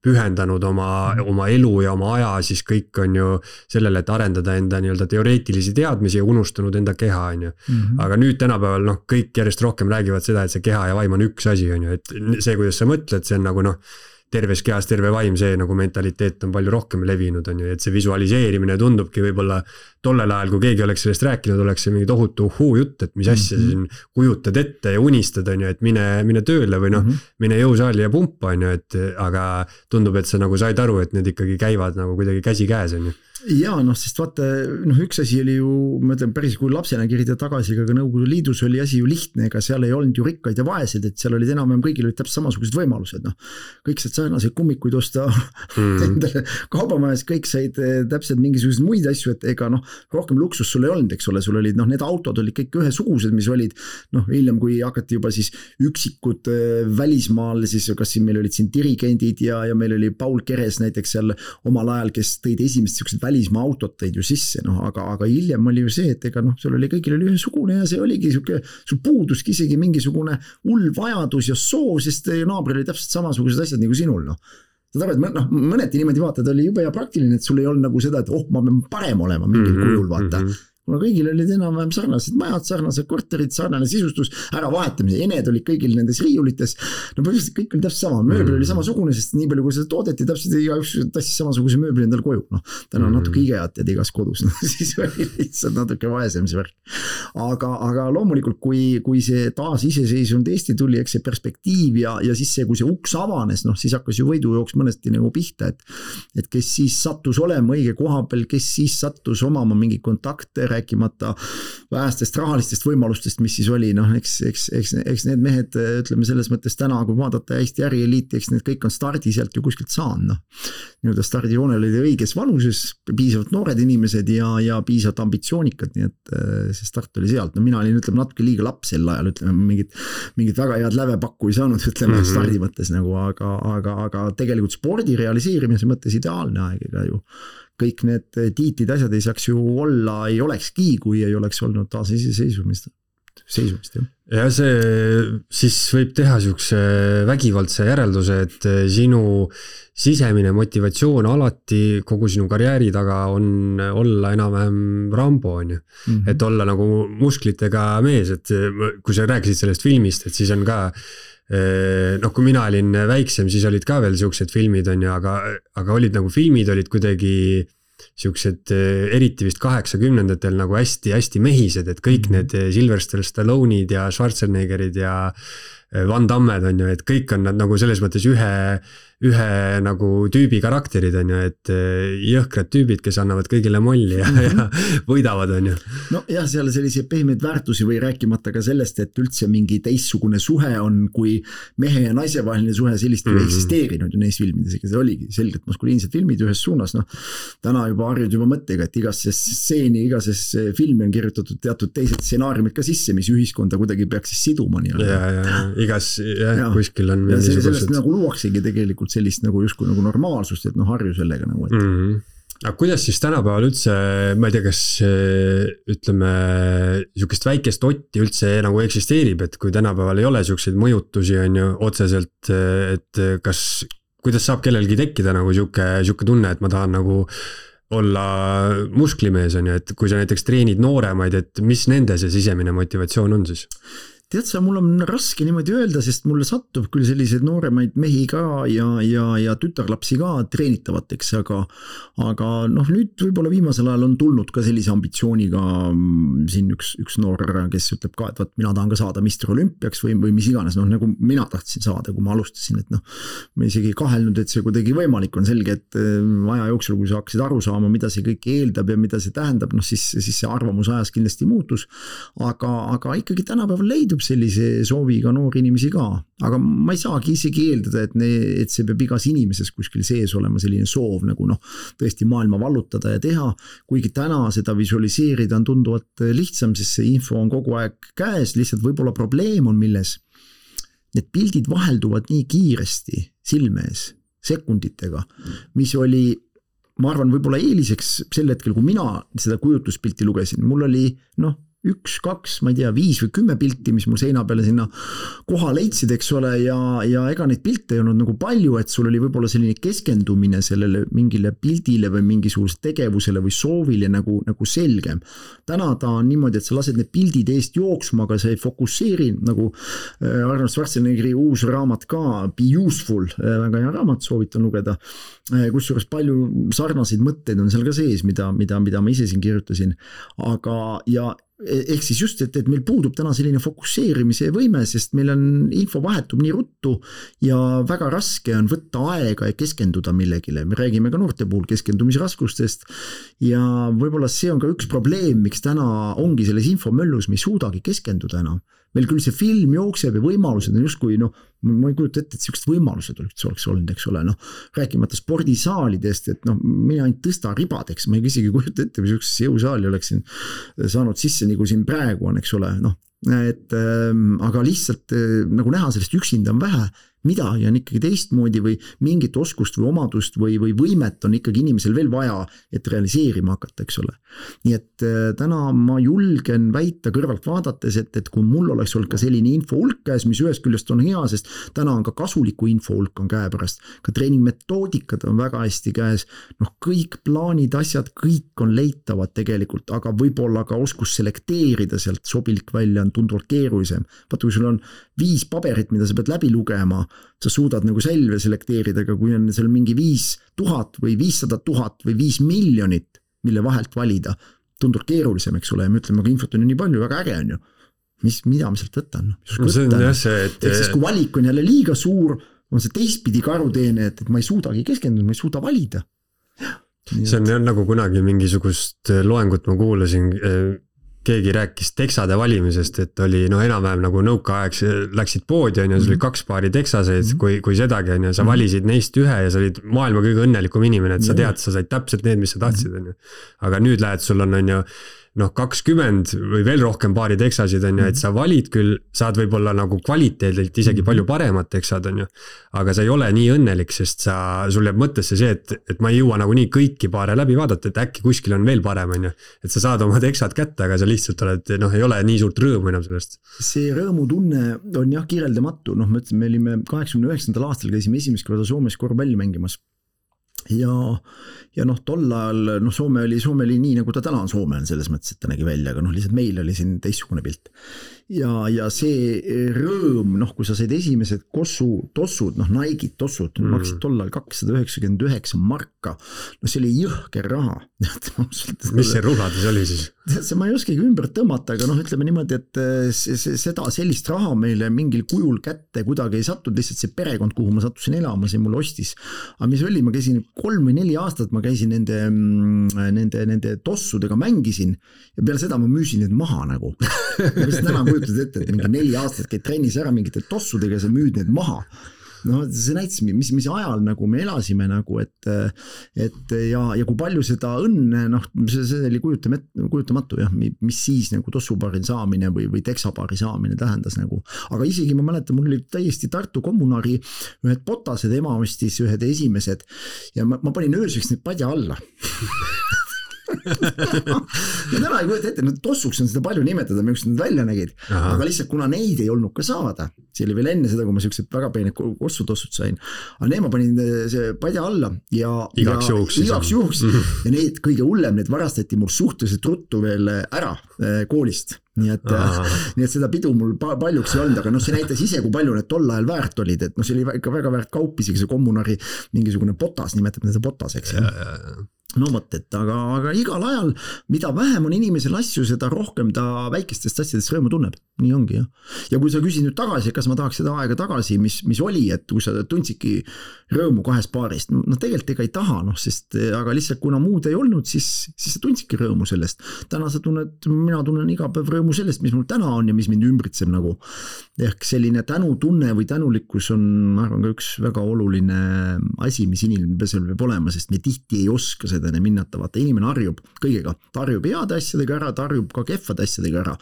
pühendanud oma, oma elu ja oma aja, siis kõik on ju sellele, et arendada enda nii-öelda teoreetilisi teadmisi ja unustanud enda keha, on ju. Mm-hmm. Aga nüüd tänapäeval noh, kõik järjest rohkem räägivad seda, et see keha ja vaim on üks asi, on ju, et see, kuidas sa mõtled, see on nagu noh, terves kehas terve vaim, see nagu mentaliteet on palju rohkem levinud, on ju, et see visualiseerimine tundubki võib-olla tollel ajal, kui keegi oleks sellest rääkinud, oleks see mingi tohutu uhuu jutt, et mis asja mm-hmm. siin kujutad ette ja unistad, on ju, et mine, mine tööle või noh, mm-hmm. mine jõusaali ja pumpa, on ju, et aga tundub, et sa nagu said aru, et need ikkagi käivad nagu kuidagi käsi käes, on ju.
Ja noh, sest vaata, noh üks asi oli ju, ma ütlen päris kui lapsena kirjada tagasi, aga Nõukogude Liidus oli asi ju lihtne, ega seal ei olnud ju rikkaid ja vaesed, et seal olid enam-enam kõigil olid täpselt samasugused võimalused, noh. Kõik said sarnaseid kummikuid osta mm. endale kaubamajas, kõik said täpselt mingisuguseid muid asju, et ega noh, rohkem luksus sul ei olnud, eks ole, sul olid noh, need autod olid kõik ühesugused, mis olid noh, hiljem kui hakati juba siis üksikud välismaal, siis kas siin meil olid siin dirigendid ja, ja meil oli Paul Keres näiteks seal omal ajal, kes tõid esimest siuksed välismaa autot tõid ju sisse, noh, aga, aga hiljem oli ju see, et ega noh, sul oli kõigil oli ühesugune ja see oligi siuke, sul puuduski isegi mingisugune hull vajadus ja soov, sest naabril oli täpselt samasugused asjad nagu sinul, noh. Sa tarvad, noh, mõneti niimoodi vaatad, oli jube ja praktiline, et sul ei olnud nagu seda, et oh, ma pean parem olema mingil mm-hmm, kujul, vaata. Mm-hmm. kuna kõigil olid enam-vähem sarnased majad, sarnased korterid, sarnane sisustus, ära vahetamise, ened olid kõigil nendes riiulites, no põhimõtteliselt kõik oli täpselt sama, mööbel oli samasugune, sest nii palju kui seda toodeti, täpselt igaüks tassis samasuguse mööbli endal koju, noh, täna on natuke IKEA-t jääd igas kodus, no, siis oli lihtsalt natuke vaesem see värk. Aga, aga loomulikult, kui, kui see taas iseseisvunud Eesti tuli, eks see perspektiiv ja, ja siis see, kui see uks avanes, noh, siis hakkas ju võidujooks mõnesti nagu pihta, et, et kes siis sattus olema õige koha peal, kes siis sattus omama mingi kontakte, rääkimata vähestest rahalistest võimalustest, mis siis oli, noh, eks, eks, eks, eks need mehed, ütleme selles mõttes täna, kui vaadata Eesti ärieliiti, eks need kõik on stardi sealt ju kuskilt saanud, noh. Nii-öelda stardijoonel oli õiges vanuses, piisavalt noored inimesed ja, ja piisavalt ambitsioonikad, nii et see start oli sealt, no mina olin, ütleme, natuke liiga laps sel ajal, ütleme, mingit, mingit väga head lävepakku ei saanud, ütleme, mm-hmm. stardi mõttes nagu, aga, aga, aga tegelikult spordi realiseerimise mõttes ideaalne aeg, ega ju kõik need tiitid asjad ei saaks ju olla, ei olekski, kui ei oleks olnud taas iseseisvumist, seisumist, jah.
Ja see siis võib teha siukse vägivaldse järelduse, et sinu sisemine motivatsioon alati kogu sinu karjääri taga on olla enam-vähem Rambo, on ju. Mm-hmm. Et olla nagu musklitega mees, et kui sa rääkisid sellest filmist, et siis on ka noh, kui mina olin väiksem, siis olid ka veel siuksed filmid, on ju, aga, aga olid nagu filmid olid kuidagi siuksed eriti vist kaheksakümnendatel nagu hästi-hästi mehised, et kõik need Sylvester Stallone'id ja Schwarzeneggerid ja Van Dammed on ju, et kõik on nad nagu selles mõttes ühe, ühe nagu tüübi karakterid on ju, et jõhkrad tüübid, kes annavad kõigile molli ja, ja võidavad on ju.
No jah, seal selliseid pehmeid väärtusi või rääkimata ka sellest, et üldse mingi teistsugune suhe on, kui mehe ja naise vaheline suhe sellist mm-hmm. ei eksisteerinud ju neis filmides, ega see oligi selgelt maskuliinsed filmid ühes suunas, noh, täna juba harjud juba mõttega, et igasse stseeni, igases filmi on kirjutatud teatud teised stsenaariumid ka sisse, mis ühiskonda kuidagi peaks siis siduma nii.
Ja, ja igas, jah, ja, kuskil on
ja see, sellest nagu luuaksegi tegelikult sellist nagu justkui nagu normaalsust, et noh, harju sellega nagu, et
mm-hmm. aga kuidas siis tänapäeval üldse, ma ei tea, kas ütleme, niisugust väikest otti üldse nagu eksisteerib, et kui tänapäeval ei ole niisuguseid mõjutusi, on ju, otseselt, et kas, kuidas saab kellelgi tekkida nagu niisugune, niisugune tunne, et ma tahan nagu olla musklimees, on ju, et kui sa näiteks treenid nooremaid, et mis nende see sisemine motivatsioon on siis?
Tead sa, mul on raske niimoodi öelda, sest mulle sattub küll selliseid nooremaid mehi ka ja, ja, ja tütarlapsi ka treenitavateks, aga, aga noh, nüüd võib-olla viimasel ajal on tulnud ka sellise ambitsiooniga siin üks, üks noor, kes ütleb ka, et vaat mina tahan ka saada mister Olümpiaks või, või mis iganes, noh nagu mina tahtsin saada, kui ma alustasin, et noh, ma isegi kahelnud, et see kuidagi võimalik on selge, et aja jooksul, kui sa hakkasid aru saama, mida see kõik eeldab ja mida see tähendab, noh siis, siis see arvamus ajas kindlasti muutus, aga, aga ikkagi tänapäeval leidub sellise sooviga noori inimesi ka, aga ma ei saagi isegi eeldada, et, ne, et see peab igas inimeses kuskil sees olema selline soov nagu noh, tõesti maailma vallutada ja teha, kuigi täna seda visualiseerida on tunduvalt lihtsam, sest see info on kogu aeg käes, lihtsalt võib-olla probleem on milles. Need pildid vahelduvad nii kiiresti silme ees, sekunditega, mis oli ma arvan, võib-olla eeliseks sel hetkel, kui mina seda kujutluspilti lugesin, mul oli noh, üks, kaks, ma ei tea, viis või kümme pilti, mis mul seina peale sinna koha leidsid, eks ole, ja, ja ega neid pilte ei olnud nagu palju, et sul oli võib-olla selline keskendumine sellele mingile pildile või mingisugusele tegevusele või soovile nagu, nagu selgem. Täna ta on niimoodi, et sa lased need pildid eest jooksma, aga sa ei fokusseeri, nagu Arnold Schwarzeneggeri uus raamat ka, Be Useful, väga hea raamat, soovitan lugeda, kusjuures palju sarnaseid mõtteid on seal ka sees, mida, mida, mida ma ise siin kirjutasin, aga ja ehk siis just, et, et meil puudub täna selline fokusseerimise võime, sest meil on info vahetub nii ruttu ja väga raske on võtta aega ja keskenduda millegile. Me räägime ka noorte puhul keskendumisraskustest ja võib-olla see on ka üks probleem, miks täna ongi selles infomöllus, me ei suudagi keskenduda enam. Meil küll see film jookseb ja võimalused on justkui, noh, ma ei kujuta ette, et sellised võimalused oleks olnud, eks ole, noh, rääkimata spordisaalidest, et noh, mina ainult tõsta ribadeks, ma ei isegi kujuta ette, või sellisesse jõusaali oleksin saanud sisse, nagu siin praegu on, eks ole, noh, et ähm, aga lihtsalt äh, nagu näha sellest üksinda on vähe, midagi on ikkagi teistmoodi või mingit oskust või omadust või, või võimet on ikkagi inimesel veel vaja, et realiseerima hakata, eks ole. Nii et äh, täna ma julgen väita kõrvalt vaadates, et, et kui mul oleks olnud ka selline info hulk käes, mis ühest küljest on hea, sest täna on ka kasuliku info hulk on käepärast, ka treeningmetoodikad on väga hästi käes, noh kõik plaanid, asjad, kõik on leitavad tegelikult, aga võib-olla ka oskus selekteerida sealt sobilik välja on tunduvalt keerulisem. Vaata, kui sul on viis paberit, mida sa pead läbi lugema, sa suudad nagu selve selekteerida, aga kui on seal mingi viis tuhat või viissada tuhat või viis miljonit, mille vahelt valida, tundub keerulisem, eks ole, ja me ütleme, aga infot on ju nii palju, väga äge on ju. Mis, mida me sealt võtan?
No, see on jah see, et...
Ehk siis, kui valik on jälle liiga suur, on see teistpidi karuteene, et, et ma ei suudagi keskenduda, ma ei suuda valida.
See on jah nagu kunagi mingisugust loengut ma kuulasin, keegi rääkis teksade valimisest, et oli no enam-vähem nagu nõukaaeg, läksid poodi on ja sul oli kaks paari teksaseid, mm-hmm. kui, kui sedagi on ja sa valisid neist ühe ja sa olid maailma kõige õnnelikum inimene, et sa tead, sa said täpselt need, mis sa tahtsid. On ju. Aga nüüd lähed, sul on, on ju noh, kakskümmend või veel rohkem paari teksasid on ju, et sa valid küll, saad võib-olla nagu kvaliteedilt isegi palju paremat teksad on ju, aga sa ei ole nii õnnelik, sest sa, sul jääb mõttesse see, et, et ma ei jõua nagu nii kõiki paare läbi vaadata, et äkki kuskil on veel parem on ju, et sa saad oma teksad kätte, aga sa lihtsalt oled, noh, ei ole nii suurt rõõmu enam sellest.
See rõõmutunne on jah kirjeldamatu, noh, me ütleme, me olime kaheksakümne üheksandal aastal käisime esimest korda Soomes korvpalli mängimas. Ja, ja noh, tol ajal, noh, Soome oli, Soome oli nii, nagu ta täna on Soome on selles mõttes, et ta nägi välja, aga noh, lihtsalt meil oli siin teistsugune pilt. Ja, ja see rõõm, noh, kui sa said esimesed kossu, tossud, noh, Nike'id tossud, mm. maksid tol ajal kakssada üheksakümmend üheksa marka, no see oli jõhker raha.
Mis see rullades oli siis?
See ma ei oskagi ümber tõmmata, aga noh, ütleme niimoodi, et see, see, seda sellist raha meile mingil kujul kätte kuidagi ei sattud, lihtsalt see perekond, kuhu ma sattusin elama, see mul ostis. Aga mis oli, ma käisin kolm või neli aastat, ma käisin nende, nende, nende tossudega mängisin ja peale seda ma müüsin need maha nagu. Mis täna kujutad ette, et mingi neli aastat käid trennis ära mingite tossudega ja sa müüd need maha. No see näitas, mis, mis ajal nagu me elasime nagu, et, et ja, ja kui palju seda õnne, noh, see, see oli kujutamatu, jah, mis siis nagu tossupaari saamine või, või teksapaari saamine tähendas nagu. Aga isegi ma mäletan, mul oli täiesti Tartu kommunari ühed potased, ema ostis ühed esimesed ja ma, ma panin ööseks need padja alla. ja täna ei kujuta ette, nüüd tossuks on seda palju nimetada, miks nad välja nägid, Aha. aga lihtsalt kuna neid ei olnud ka saada, see oli veel enne seda, kui ma sellised väga peened kossutossud sain, aga need ma panin see padja alla ja
igaks juhuks,
igaks juhuks ja need kõige hullem, need varastati mul suhteliselt ruttu veel ära koolist. Nii et, nii et seda pidu mul paljuks ei olnud, aga noh, see näitas ise, kui palju need tol ajal väärt olid, et noh, see oli väga, väga väärt kaup, isegi see kommunari mingisugune potas, nimetab seda potaseks. Ja, ja, ja. No mõt, et aga, aga igal ajal, mida vähem on inimesel asju, seda rohkem ta väikestest asjadest rõõmu tunneb. Nii ongi, jah. Ja kui sa küsid nüüd tagasi, kas ma tahaks seda aega tagasi, mis, mis oli, et kui sa tundsidki rõõmu kahest paarist, no tegelikult ega ei taha, noh, sest aga lihtsalt kuna muud ei olnud, siis, siis sa tundsidki rõõmu sellest. Täna sa tunned, mina tunnen iga päev rõõmu sellest, mis mul täna on ja mis mind ümbritseb nagu. ehk selline tänutunne või tänulikkus on, ma arvan, ka üks väga oluline asi, mis inimesel peab olema, sest me tihti ei oska seda hinnata, vaata inimene harjub kõigega, ta harjub heade asjadega ära, ta harjub ka kehvade asjadega ära,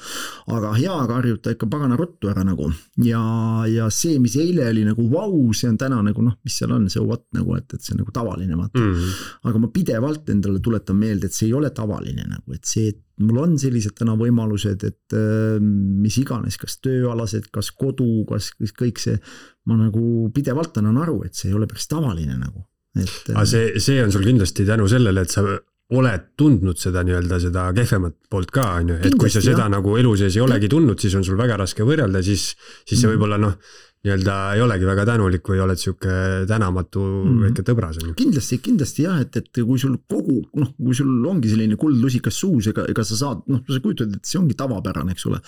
aga heaga harjub ta ikka pagana ruttu ära nagu ja, ja see, mis eile oli nagu vau, see on täna nagu noh, mis seal on, see what nagu, et, et see on nagu tavaline, vaata mm. -hmm. aga ma pidevalt endale tuletan meelde, et see ei ole tavaline nagu, et see, et mul on sellised täna võimalused, et mis iganes, kas tööalased, kas kodu, kas kõik see, ma nagu pidevalt annan aru, et see ei ole päris tavaline nagu. Et,
aga see, see on sul kindlasti tänu sellele, et sa oled tundnud seda nii-öelda seda kehvemat poolt ka, on ju, et kui sa seda jah. Nagu elu sees ei olegi tundnud, siis on sul väga raske võrrelda, siis, siis see võib-olla noh, nii-öelda ei olegi väga tänulik või oled siuke tänamatu mm. väike tõbras.
Kindlasti, kindlasti jah, et, et kui sul kogu, noh, kui sul ongi selline kuldlusikas suus, ega, ega sa saad, noh, sa kujutad, et see ongi tavapärane, eks ole.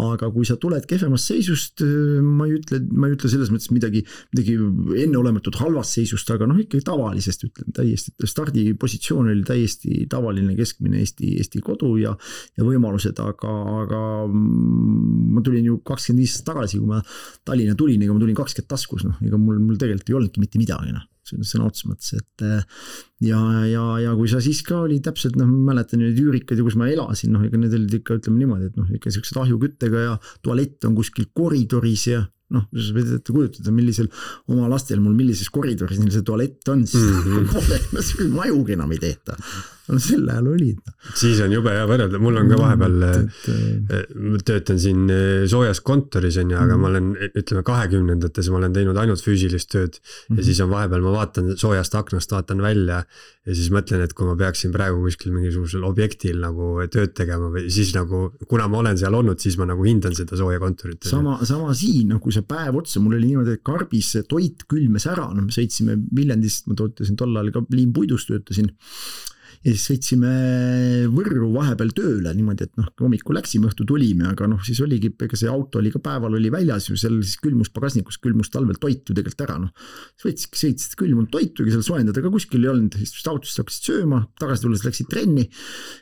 Aga kui sa tuled kehvemast seisust, ma ei ütle, ma ei ütle selles mõttes midagi, midagi enneolematut halvast seisust, aga noh, ikkagi tavalisest ütlen täiesti, stardipositsioon oli täiesti tavaline keskmine Eesti, Eesti kodu ja, ja võimalused, aga, aga ma tulin ju kakskümmend viis tagasi, kui ma Tallinna tulin, ega ma tulin kakskümmend taskus, noh, ega mul, mul tegelikult ei olnudki mitte midagi, noh, sõna otsa mõttes, et ja, ja, ja kui sa siis ka oli täpselt, noh, ma mäletan neid üürikad ja kus ma elasin, noh, ega need olid ikka, ütleme niimoodi, et noh, ikka sellised ahjuküttega ja tualett on kuskil koridoris ja noh, sa võid ette kujutada, millisel oma lastel mul millises koridoris neil see tualett on, siis mm -hmm. majugi enam ei tehta. No selle ajal oli.
Siis on jube hea võrrelda, mul on ka vahepeal, ma töötan siin soojas kontoris, on, aga ma olen, ütleme kahekümnendates ma olen teinud ainult füüsilist tööd ja siis on vahepeal, ma vaatan soojast aknast, vaatan välja ja siis mõtlen, et kui ma peaksin praegu kuskil mingisugusel objektil nagu tööd tegema või siis nagu, kuna ma olen seal olnud, siis ma nagu hindan seda sooja kontorit.
Sama, sama siin, noh, kui see päev otsa, mul oli niimoodi, et karbis toit külmes ära, no me sõitsime Viljandist, ma tootasin tol ajal ka liimpuidust töötasin ja siis sõitsime Võrru vahepeal tööle niimoodi, et noh, hommikul läksime, õhtu tulime, aga noh, siis oligi, ega see auto oli ka päeval oli väljas ju seal siis külmus pagasnikus, külmus talvel toitu tegelikult ära, noh. Võtsidki sõitsid külmunud toitu, ega seal soojendada ka kuskil ei olnud, siis autost hakkasid sööma, tagasi tulles läksid trenni,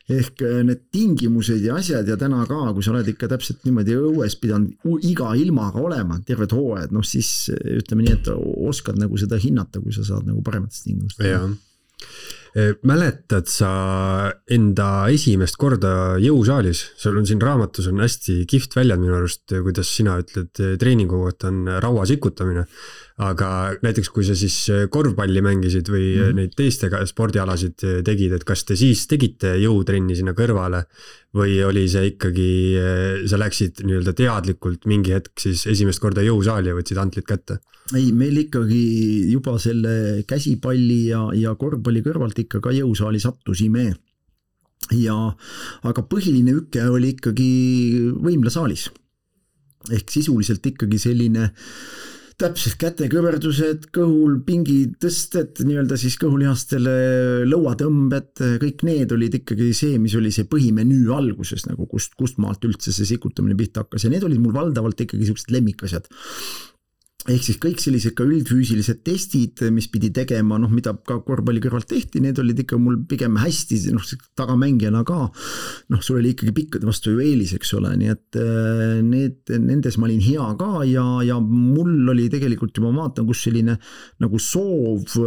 ehk need tingimused ja asjad ja täna ka, kui sa oled ikka täpselt niimoodi õues pidanud iga ilmaga olema, terved hooajad, noh siis ütleme nii, et oskad nagu seda hinnata, kui sa saad nagu parematest tingimust.
Jaa. Mäletad sa enda esimest korda jõusaalis, sul on siin raamatus on hästi kihvt väljad minu arust, kuidas sina ütled, treeningu kohta on raua sikutamine, aga näiteks kui sa siis korvpalli mängisid või mm. neid teistega spordialasid tegid, et kas te siis tegite jõutrenni sinna kõrvale või oli see ikkagi, sa läksid nii-öelda teadlikult mingi hetk siis esimest korda jõusaali ja võtsid antlid kätte?
Ei, meil ikkagi juba selle käsipalli ja, ja korvpalli kõrvalt ikka ka jõusaali sattusime. Ja, aga põhiline üke oli ikkagi võimlasaalis. Ehk sisuliselt ikkagi selline täpselt kätekõverdused, kõhul pingi tõsted, nii-öelda siis kõhulihastele lõuatõmbed, kõik need olid ikkagi see, mis oli see põhimenüü alguses, nagu kust, kust maalt üldse see sikutamine pihta hakkas ja need olid mul valdavalt ikkagi sellised lemmikasjad. Ehk siis kõik sellised ka üldfüüsilised testid, mis pidi tegema, noh, mida ka korvpalli kõrvalt tehti, need olid ikka mul pigem hästi, noh, tagamängijana ka, noh, sul oli ikkagi pikkade vastu ju eelis, eks ole, nii et need, nendes ma olin hea ka ja, ja mul oli tegelikult juba vaatan, kus selline nagu soov,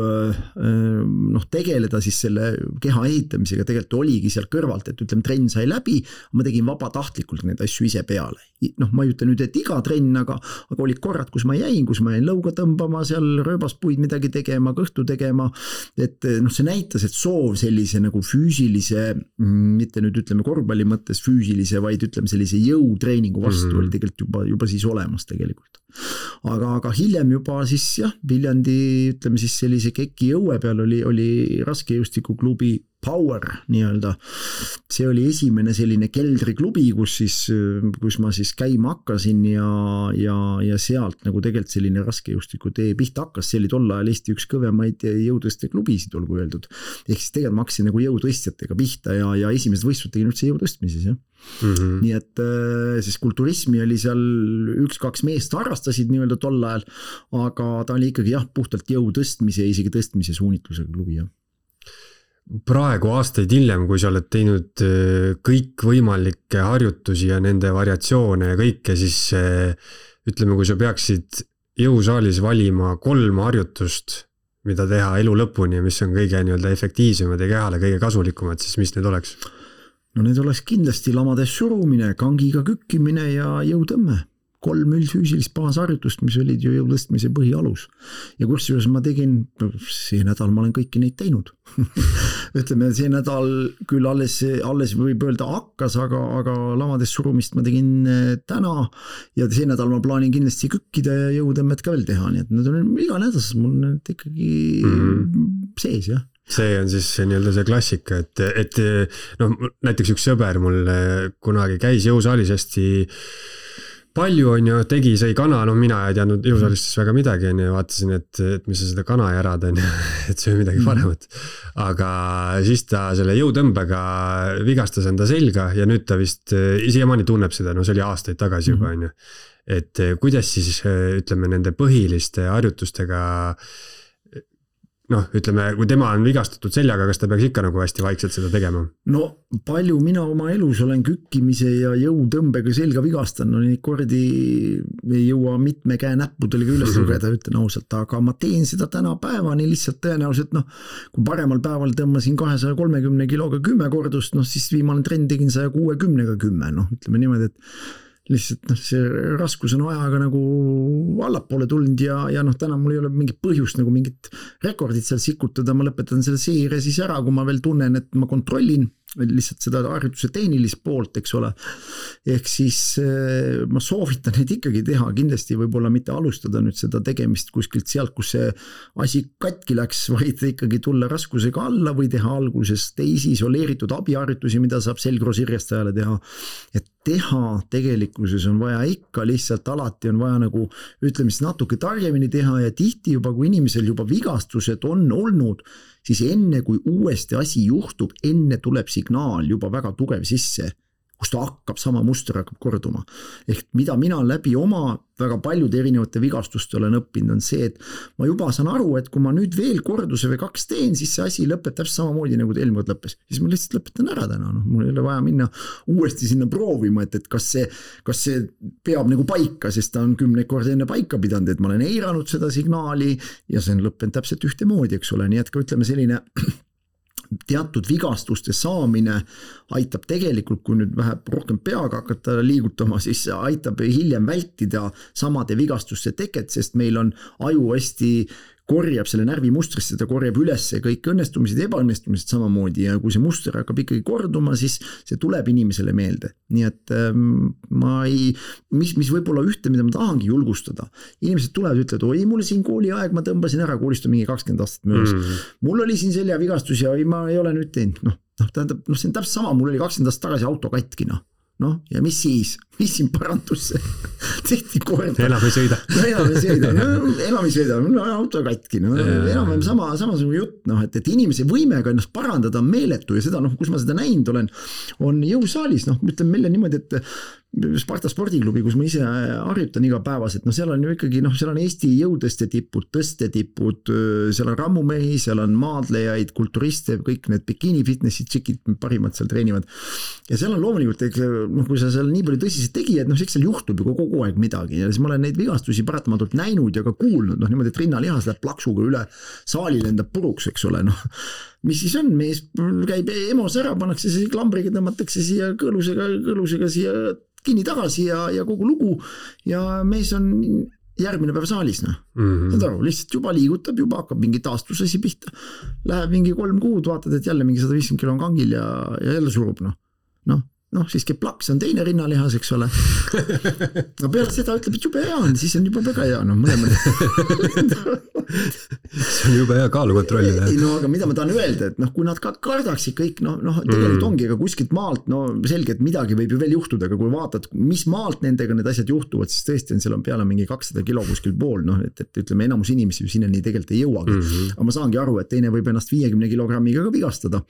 noh, tegeleda siis selle keha ehitamisega tegelikult oligi seal kõrvalt, et ütleme, trenn sai läbi, ma tegin vabatahtlikult neid asju ise peale. Noh, ma ei ütle nüüd, et iga trenn, aga, aga olid korrad, kus ma jäin, kus ma jäin lõuga tõmbama, seal rööbaspuid midagi tegema, kõhtu tegema, et noh, see näitas, et soov sellise nagu füüsilise, mitte nüüd ütleme korvpalli mõttes füüsilise, vaid ütleme sellise jõutreeningu vastu mm-hmm. oli tegelikult juba, juba siis olemas tegelikult. Aga, aga hiljem juba siis jah, Viljandi, ütleme siis sellise keki õue peal oli, oli raskejõustikuklubi Power nii-öelda. See oli esimene selline keldriklubi, kus siis, kus ma siis käima hakkasin ja, ja, ja sealt nagu tegelikult selline raskejõustiku tee pihta hakkas. See oli tol ajal Eesti üks kõvemaid jõutõste klubisid, olgu öeldud. Ehk siis tegelikult ma hakkasin nagu jõutõstjatega pihta ja, ja esimesed võistlused tegin üldse jõutõstmises, jah. Mm-hmm. Nii et siis kulturismi oli seal üks-kaks meest harrastasid nii-öelda tol ajal, aga ta oli ikkagi jah, puhtalt jõutõstmise ja isegi tõstmise suunitlusega klubi, jah.
praegu aastaid hiljem, kui sa oled teinud kõikvõimalikke harjutusi ja nende variatsioone ja kõike, siis ütleme, kui sa peaksid jõusaalis valima kolm harjutust, mida teha elu lõpuni ja mis on kõige nii-öelda efektiivsemad ja kehale kõige kasulikumad, siis mis need oleks?
No need oleks kindlasti lamades surumine, kangiga kükkimine ja jõutõmme. Kolm üldfüüsilist baasharjutust, mis olid ju jõutõstmise põhialus. Ja kusjuures ma tegin, see nädal ma olen kõiki neid teinud. Ütleme, see nädal küll alles, alles võib öelda hakkas, aga, aga lamades surumist ma tegin täna ja see nädal ma plaanin kindlasti kükkida ja jõutõmmet ka veel teha. Nii et need on iga nädalas mul need ikkagi mm-hmm. sees, jah.
See on siis nii-öelda see klassika, et, et no, näiteks üks sõber mul kunagi käis jõusaalis hästi palju on ju, tegi, sai kana, no mina ei teadnud jõusaalistest väga midagi on ju, vaatasin, et, et mis sa seda kana järad on ju, et see on midagi paremat. Aga siis ta selle jõutõmbega vigastas enda selga ja nüüd ta vist siiamaani tunneb seda, no see oli aastaid tagasi juba on ju. Et kuidas siis ütleme nende põhiliste harjutustega noh, ütleme, kui tema on vigastatud seljaga, kas ta peaks ikka nagu hästi vaikselt seda tegema?
No palju mina oma elus olen kükkimise ja jõutõmbega selga vigastan, no neid kordi ei jõua mitme käe näppudele üles lugeda, ütlen ausalt, aga ma teen seda täna päevani lihtsalt tõenäoliselt, noh, kui paremal päeval tõmbasin kahesaja kolmekümne kiloga kümme kordust, noh siis viimane trend tegin saja kuuekümnega kümme, noh, ütleme niimoodi, et lihtsalt noh, see raskus on ajaga nagu allapoole tulnud ja, ja noh, täna mul ei ole mingit põhjust nagu mingit rekordit seal sikutada, ma lõpetan selle seire siis ära, kui ma veel tunnen, et ma kontrollin lihtsalt seda harjutuse tehnilist poolt, eks ole. Ehk siis ma soovitan neid ikkagi teha, kindlasti võib-olla mitte alustada nüüd seda tegemist kuskilt sealt, kus see asi katki läks, vaid ikkagi tulla raskusega alla või teha alguses teisi isoleeritud abiharjutusi, mida saab selgroosirjestajale teha. Et teha tegelikkuses on vaja ikka lihtsalt alati on vaja nagu ütleme siis natuke targemini teha ja tihti juba, kui inimesel juba vigastused on olnud, siis enne kui uuesti asi juhtub, enne tuleb signaal juba väga tugev sisse, kus ta hakkab, sama muster hakkab korduma. Ehk mida mina läbi oma väga paljude erinevate vigastuste olen õppinud, on see, et ma juba saan aru, et kui ma nüüd veel korduse või kaks teen, siis see asi lõpeb täpselt samamoodi, nagu ta eelmine kord lõppes. Siis ma lihtsalt lõpetan ära täna, noh, mul ei ole vaja minna uuesti sinna proovima, et, et kas see, kas see peab nagu paika, sest ta on kümne korda enne paika pidanud, et ma olen eiranud seda signaali ja see on lõppenud täpselt ühte moodi, eks ole, nii et ka ütleme selline teatud vigastuste saamine aitab tegelikult, kui nüüd vähe rohkem peaga hakata liigutama, siis aitab hiljem vältida samade vigastuste teket, sest meil on aju hästi korjab selle närvimustrisse, ta korjab üles kõik õnnestumised ja ebaõnnestumised samamoodi ja kui see muster hakkab ikkagi korduma, siis see tuleb inimesele meelde. Nii et ähm, ma ei, mis, mis võib-olla ühte, mida ma tahangi julgustada. Inimesed tulevad ja ütlevad, oi, mul siin kooli aeg, ma tõmbasin ära, koolist on mingi kakskümmend aastat möödas. Mm-hmm. Mul oli siin selja vigastus ja ma ei ole nüüd teinud. Noh, noh, tähendab, noh, see on täpselt sama, mul oli kakskümmend aastat tagasi auto katki, noh. Noh, ja mis siis? Mis siin parantusse? Tehti korda.
Enam ei sõida.
No, enam ei sõida. No, enam ei sõida. No, auto katki. No, enam on sama, samasugune jutt. No, et, et inimese võimega ennast parandada on meeletu ja seda, noh, kus ma seda näinud olen, on jõusaalis. Noh, ütlen meile niimoodi, et Sparta spordiklubi, kus ma ise harjutan igapäevaselt, no seal on ju ikkagi, noh, seal on Eesti jõudeste tipud, tõste tipud, seal on rammumehi, seal on maadlejaid, kulturiste, kõik need bikini fitnessi tšikid parimad seal treenivad. Ja seal on loomulikult, noh, kui sa seal nii palju tõsiselt tegijad, noh, eks seal juhtub ju kogu aeg midagi ja siis ma olen neid vigastusi paratamatult näinud ja ka kuulnud, noh, niimoodi, et rinnalihas läheb plaksuga üle, saali lendab puruks, eks ole, noh. Mis siis on, mees käib emos ära, pannakse see klambriga, tõmmatakse siia kõõlusega, kõõlusega siia kinni tagasi ja, ja kogu lugu ja mees on järgmine päev saalis, noh. Mm-hmm. Saad aru, lihtsalt juba liigutab, juba hakkab mingi taastusasi pihta. Läheb mingi kolm kuud, vaatad, et jälle mingi sada viiskümmend kilo on kangil ja, ja jälle surub, noh. Noh, noh, siis käib plaks, on teine rinnalihas, eks ole. No peale seda ütleb, et jube hea on, siis on juba väga hea, noh, mõlemad.
See on juba hea kaalu kontrollida.
No aga mida ma tahan öelda, et noh, kui nad ka kardaksid kõik, noh, noh tegelikult ongi, aga kuskilt maalt, no selge, et midagi võib ju veel juhtuda, aga kui vaatad, mis maalt nendega need asjad juhtuvad, siis tõesti on, seal on peale mingi kakssada kilo kuskil pool, noh, et, et ütleme, enamus inimesi ju sinna nii tegelikult ei jõuagi. Mm-hmm. Aga ma saangi aru, et teine võib ennast viiekümne kilogrammiga ka vigastada.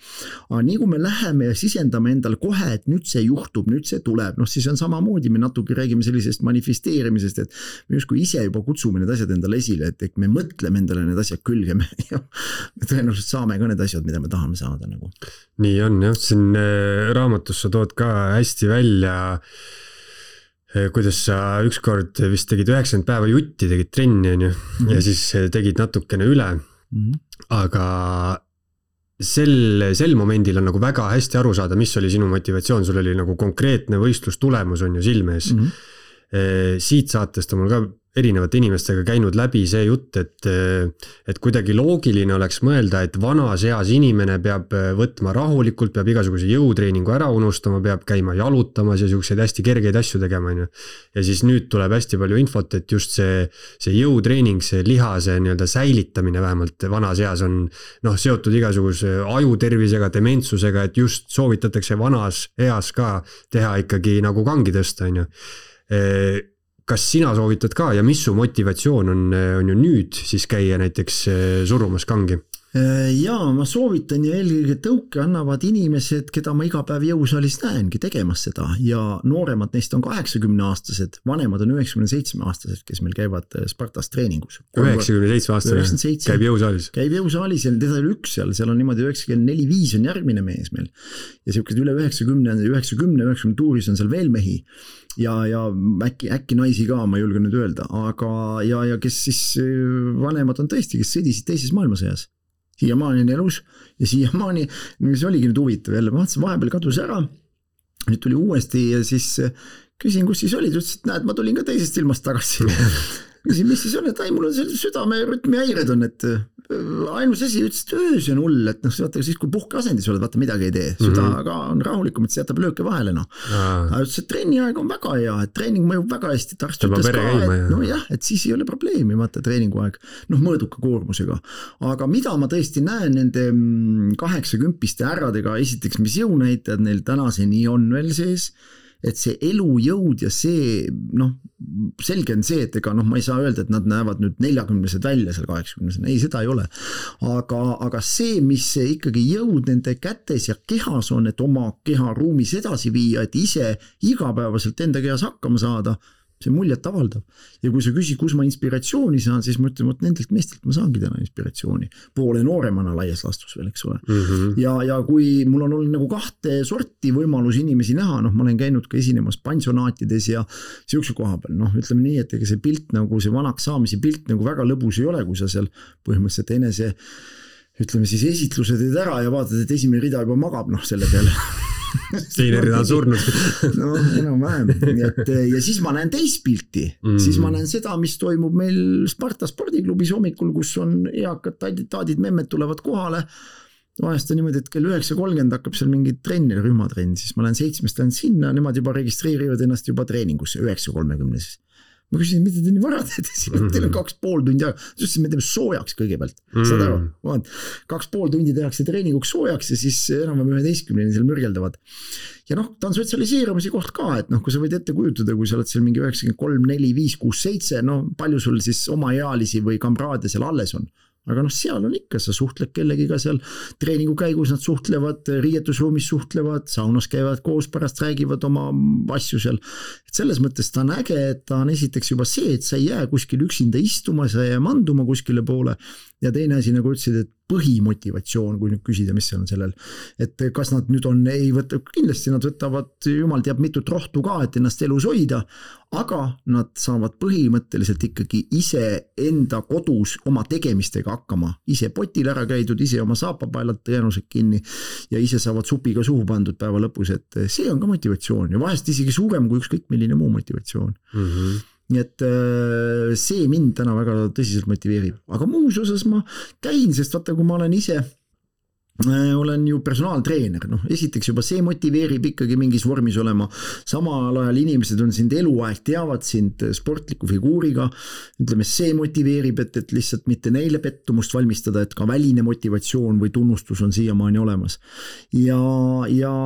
Aga nii kui me läheme ja sisendame endale kohe, et nüüd see juhtub, nüüd see tuleb, noh siis on samamoodi, me natuke räägime sellisest manifesteerimisest, et me justkui ise juba kutsume need asjad endale esile, et, et me mõtleme mõtleme endale need asjad külge, me, me tõenäoliselt saame ka need asjad, mida me tahame saada nagu.
nii on jah, siin raamatus sa tood ka hästi välja, kuidas sa ükskord vist tegid üheksakümmend päeva jutti, tegid trenni on ju, mm-hmm. ja siis tegid natukene üle, mm-hmm. aga sel, sel momendil on nagu väga hästi aru saada, mis oli sinu motivatsioon, sul oli nagu konkreetne võistlustulemus on ju silmes. Mm-hmm. Siit saatest on mul ka erinevate inimestega käinud läbi see jutt, et, et kuidagi loogiline oleks mõelda, et vanas eas inimene peab võtma rahulikult, peab igasuguse jõutreeningu ära unustama, peab käima jalutamas ja selliseid hästi kergeid asju tegema. Ja siis nüüd tuleb hästi palju infot, et just see, see jõutreening, see lihase nii-öelda säilitamine vähemalt vanas eas on noh, seotud igasuguse ajutervisega, dementsusega, et just soovitatakse vanas eas ka teha ikkagi nagu kangi tõsta, on ju. Kas sina soovitad ka ja mis su motivatsioon on, on ju nüüd siis käia näiteks surumas kangi?
Jaa, ma soovitan ja eelkõige tõuke annavad inimesed, keda ma iga päev jõusaalis näengi tegemas seda ja nooremad neist on kaheksakümne aastased, vanemad on üheksakümne seitsme aastased, kes meil käivad Spartas treeningus.
üheksakümne seitsme aastane käib jõusaalis?
Käib jõusaalis ja teda oli üks seal, seal on niimoodi üheksakümmend neli viis on järgmine mees meil ja sellised üle üheksakümne, üheksakümne, üheksakümne tuuris on seal veel mehi ja, ja äkki, äkki naisi ka, ma julgen nüüd öelda, aga ja, ja kes siis vanemad on tõesti, kes sõdisid teises maailmasõjas. Siiamaani on elus ja siiamaani, mis oligi nüüd huvitav jälle, ma vaatasin, vahepeal kadus ära, nüüd tuli uuesti ja siis küsin, kus siis olid, ütles, et näed, ma tulin ka teisest ilmast tagasi. Küsin, mis siis on, et ai, mul on see südame rütmi häired on, et ainus asi ütles, et öös on hull, et noh, vaata siis kui puhkeasendis oled, vaata midagi ei tee, süda mm-hmm. ka on rahulikum, et see jätab lööke vahele, noh. Aga ütles, et trenni aeg on väga hea, et treening mõjub väga hästi, et arst ütles ka, et no jah, et siis ei ole probleemi, vaata treeningu aeg, noh, mõõduka koormusega. Aga mida ma tõesti näen nende kaheksakümpiste härradega, esiteks, mis jõunäitajad neil tänaseni on veel sees, et see elujõud ja see, noh, selge on see, et ega noh, ma ei saa öelda, et nad näevad nüüd neljakümnesed välja seal kaheksakümnesed, ei, seda ei ole. Aga, aga see, mis see ikkagi jõud nende kätes ja kehas on, et oma keha ruumis edasi viia, et ise igapäevaselt enda kehas hakkama saada, see muljet avaldav. Ja kui sa küsid, kus ma inspiratsiooni saan, siis ma ütlen, et nendelt meestelt ma saangi täna inspiratsiooni. Poole nooremana laias lastus veel, eks ole. Mm-hmm. Ja, ja kui mul on olnud nagu kahte sorti võimalus inimesi näha, noh, ma olen käinud ka esinemas pansionaatides ja siukse koha peal, noh, ütleme nii, et ega see pilt nagu see vanaks saamise pilt nagu väga lõbus ei ole, kui sa seal põhimõtteliselt enese, ütleme siis esitluse teed ära ja vaatad, et esimene rida juba magab, noh, selle peale.
Teine rida on surnud.
No, enam vähem. Et, ja siis ma näen teist pilti. Mm. Siis ma näen seda, mis toimub meil Sparta spordiklubis hommikul, kus on eakad taadid memmed tulevad kohale. Vahest on niimoodi, et kell üheksa kolmkümmend hakkab seal mingi trenni, rühmatrenn, siis ma lähen seitsmest lähen sinna, nemad juba registreerivad ennast juba treeningusse üheksa kolmekümne siis. Ma küsisin, mida te nii vara teete siin, mm-hmm. teil on kaks pool tundi aega, siis me teeme soojaks kõigepealt, mm-hmm. saad aru, vaat, kaks pool tundi tehakse treeninguks soojaks ja siis enam üheteistkümneni seal mürgeldavad. Ja noh, ta on sotsialiseerumise koht ka, et noh, kui sa võid ette kujutada, kui sa oled seal mingi üheksakümmend kolm, neli, viis, kuus, seitse, no palju sul siis oma ealisi või kamraade seal alles on. Aga noh, seal on ikka, sa suhtled kellegiga seal treeningu käigus, nad suhtlevad, riietusruumis suhtlevad, saunas käivad koos, pärast räägivad oma asju seal. Et selles mõttes ta on äge, et ta on esiteks juba see, et sa ei jää kuskil üksinda istuma, sa ei jää manduma kuskile poole. Ja teine asi, nagu ütlesid, et põhimotivatsioon, kui nüüd küsida, mis seal on sellel, et kas nad nüüd on, ei võta, kindlasti nad võtavad, jumal teab mitut rohtu ka, et ennast elus hoida, aga nad saavad põhimõtteliselt ikkagi ise enda kodus oma tegemistega hakkama, ise potil ära käidud, ise oma saapapaelad tõenused kinni ja ise saavad supiga suhu pandud päeva lõpus, et see on ka motivatsioon ja vahest isegi suurem kui ükskõik milline muu motivatsioon. Mm-hmm. Nii et see mind täna väga tõsiselt motiveerib. Aga muus osas ma käin, sest vaata, kui ma olen ise, olen ju personaaltreener, noh, esiteks juba see motiveerib ikkagi mingis vormis olema, samal ajal inimesed on sind eluaeg, teavad sind sportliku figuuriga, ütleme, see motiveerib, et, et lihtsalt mitte neile pettumust valmistada, et ka väline motivatsioon või tunnustus on siiamaani olemas. Ja, ja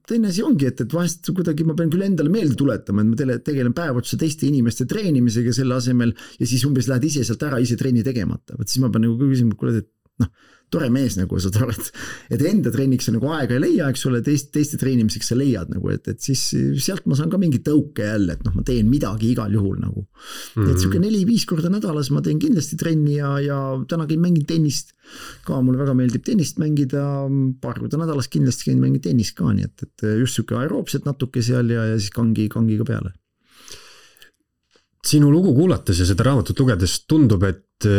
teine asi ongi, et, et vahest kuidagi ma pean küll endale meelde tuletama, et ma tegelen päevotuse teiste inimeste treenimisega selle asemel ja siis umbes lähed ise sealt ära, ise treeni tegemata. Võt siis ma pean nagu küsima, kuule, et noh, tore mees nagu sa oled, et enda treeniks sa nagu aega ei leia, eks ole, teist, teiste treenimiseks sa leiad nagu, et, et siis sealt ma saan ka mingi tõuke jälle, et noh, ma teen midagi igal juhul nagu. Mm-hmm. Et siuke neli-viis korda nädalas ma teen kindlasti trenni ja, ja täna käin mängin tennist ka, mulle väga meeldib tennist mängida, paar korda nädalas kindlasti käin mängin tennist ka, nii et, et just siuke aeroobset natuke seal ja, ja siis kangi, kangi ka peale.
Sinu lugu kuulates ja seda raamatut lugedes tundub, et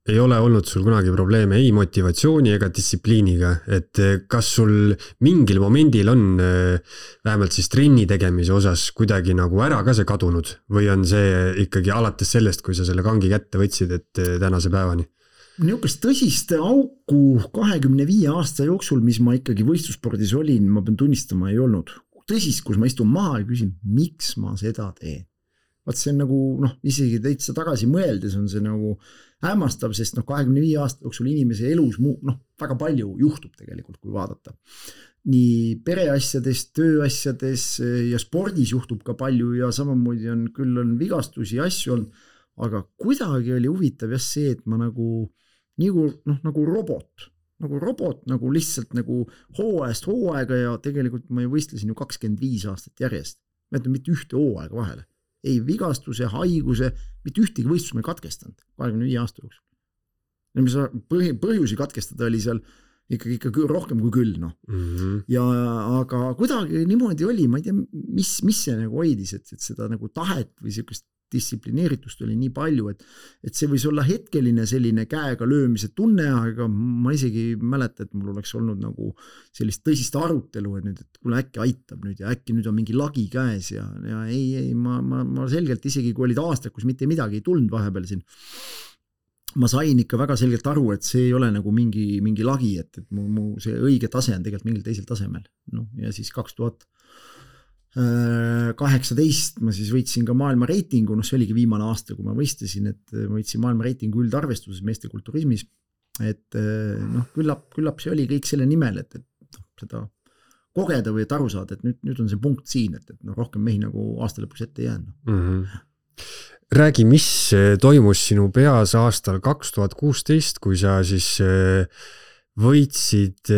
ei ole olnud sul kunagi probleeme ei motivatsiooni ega distsipliiniga, et kas sul mingil momendil on vähemalt siis trenni tegemise osas kuidagi nagu ära ka see kadunud või on see ikkagi alates sellest, kui sa selle kangi kätte võtsid, et tänase päevani?
Niukest tõsist auku kahekümne viie aasta jooksul, mis ma ikkagi võistlusspordis olin, ma pean tunnistama, ei olnud. Tõsist, kus ma istun maha ja küsin, miks ma seda teen? Vaat see on nagu, noh, isegi täitsa tagasi mõeldes on see nagu hämmastav, sest noh, kahekümne viie aasta jooksul inimese elus muu, noh, väga palju juhtub tegelikult, kui vaadata. Nii pereasjades, tööasjades ja spordis juhtub ka palju ja samamoodi on, küll on vigastusi ja asju on, aga kuidagi oli huvitav jah see, et ma nagu, nagu, noh, nagu robot, nagu robot, nagu lihtsalt nagu hooajast hooaega ja tegelikult ma ju võistlesin ju kakskümmend viis aastat järjest. Ma ütlen mitte ühte hooaega vahele. Ei vigastuse, haiguse, mitte ühtegi võistlus ma ei katkestanud kahekümne viie aasta jooksul. Ja mis põhjusi katkestada oli seal ikkagi, ikkagi rohkem kui küll. No. Mm-hmm. Ja, aga kuidagi niimoodi oli, ma ei tea, mis, mis see nagu hoidis, et, et seda nagu tahet või sellist distsiplineeritust oli nii palju, et, et see võis olla hetkeline selline käega löömise tunne, aga ma isegi mäleta, et mul oleks olnud nagu sellist tõsist arutelu, et nüüd, et kuule äkki aitab nüüd ja äkki nüüd on mingi lagi käes ja, ja ei, ei, ma, ma, ma selgelt isegi kui olid aastad, kus mitte midagi ei tulnud vahepeal siin, ma sain ikka väga selgelt aru, et see ei ole nagu mingi, mingi lagi, et, et mu, mu see õige tase on tegelikult mingil teisel tasemel. No, ja siis kaks tuhat kaheksateist ma siis võitsin ka maailma reitingu, noh see oligi viimane aasta, kui ma võistlesin, et ma võitsin maailma reitingu üldarvestuses meeste kulturismis, et noh, küllap, küllap see oli kõik selle nimel, et, et seda kogeda või et aru saada, et nüüd, nüüd on see punkt siin, et, et no, rohkem mehi nagu aasta lõpus ette jäänud.
Mm-hmm. Räägi, mis toimus sinu peas aastal kaks tuhat kuusteist, kui sa siis võitsid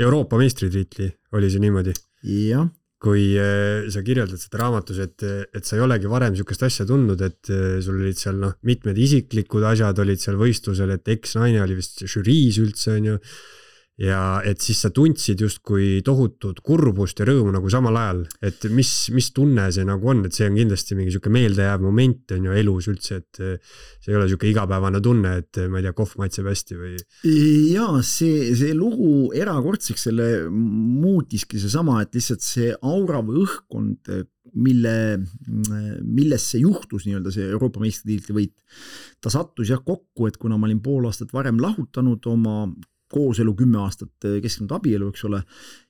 Euroopa meistritiitli, oli see niimoodi?
Jah.
Kui sa kirjeldad seda raamatus, et, et sa ei olegi varem sükest asja tundnud, et sul olid seal noh, mitmed isiklikud asjad olid seal võistlusel, et eks-naine oli vist žüriis üldse on ju, ja et siis sa tundsid justkui tohutut kurbust ja rõõmu nagu samal ajal, et mis, mis tunne see nagu on, et see on kindlasti mingi siuke meeldejääv moment on ju elus üldse, et see ei ole siuke igapäevane tunne, et ma ei tea, kohv maitseb hästi või?
Jaa, see, see lugu erakordseks selle muutiski see sama, et lihtsalt see aura või õhkkond, mille, milles see juhtus nii-öelda see Euroopa meistritiitli võit, ta sattus jah kokku, et kuna ma olin pool aastat varem lahutanud oma kooselu kümme aastat kesknud abielu, eks ole,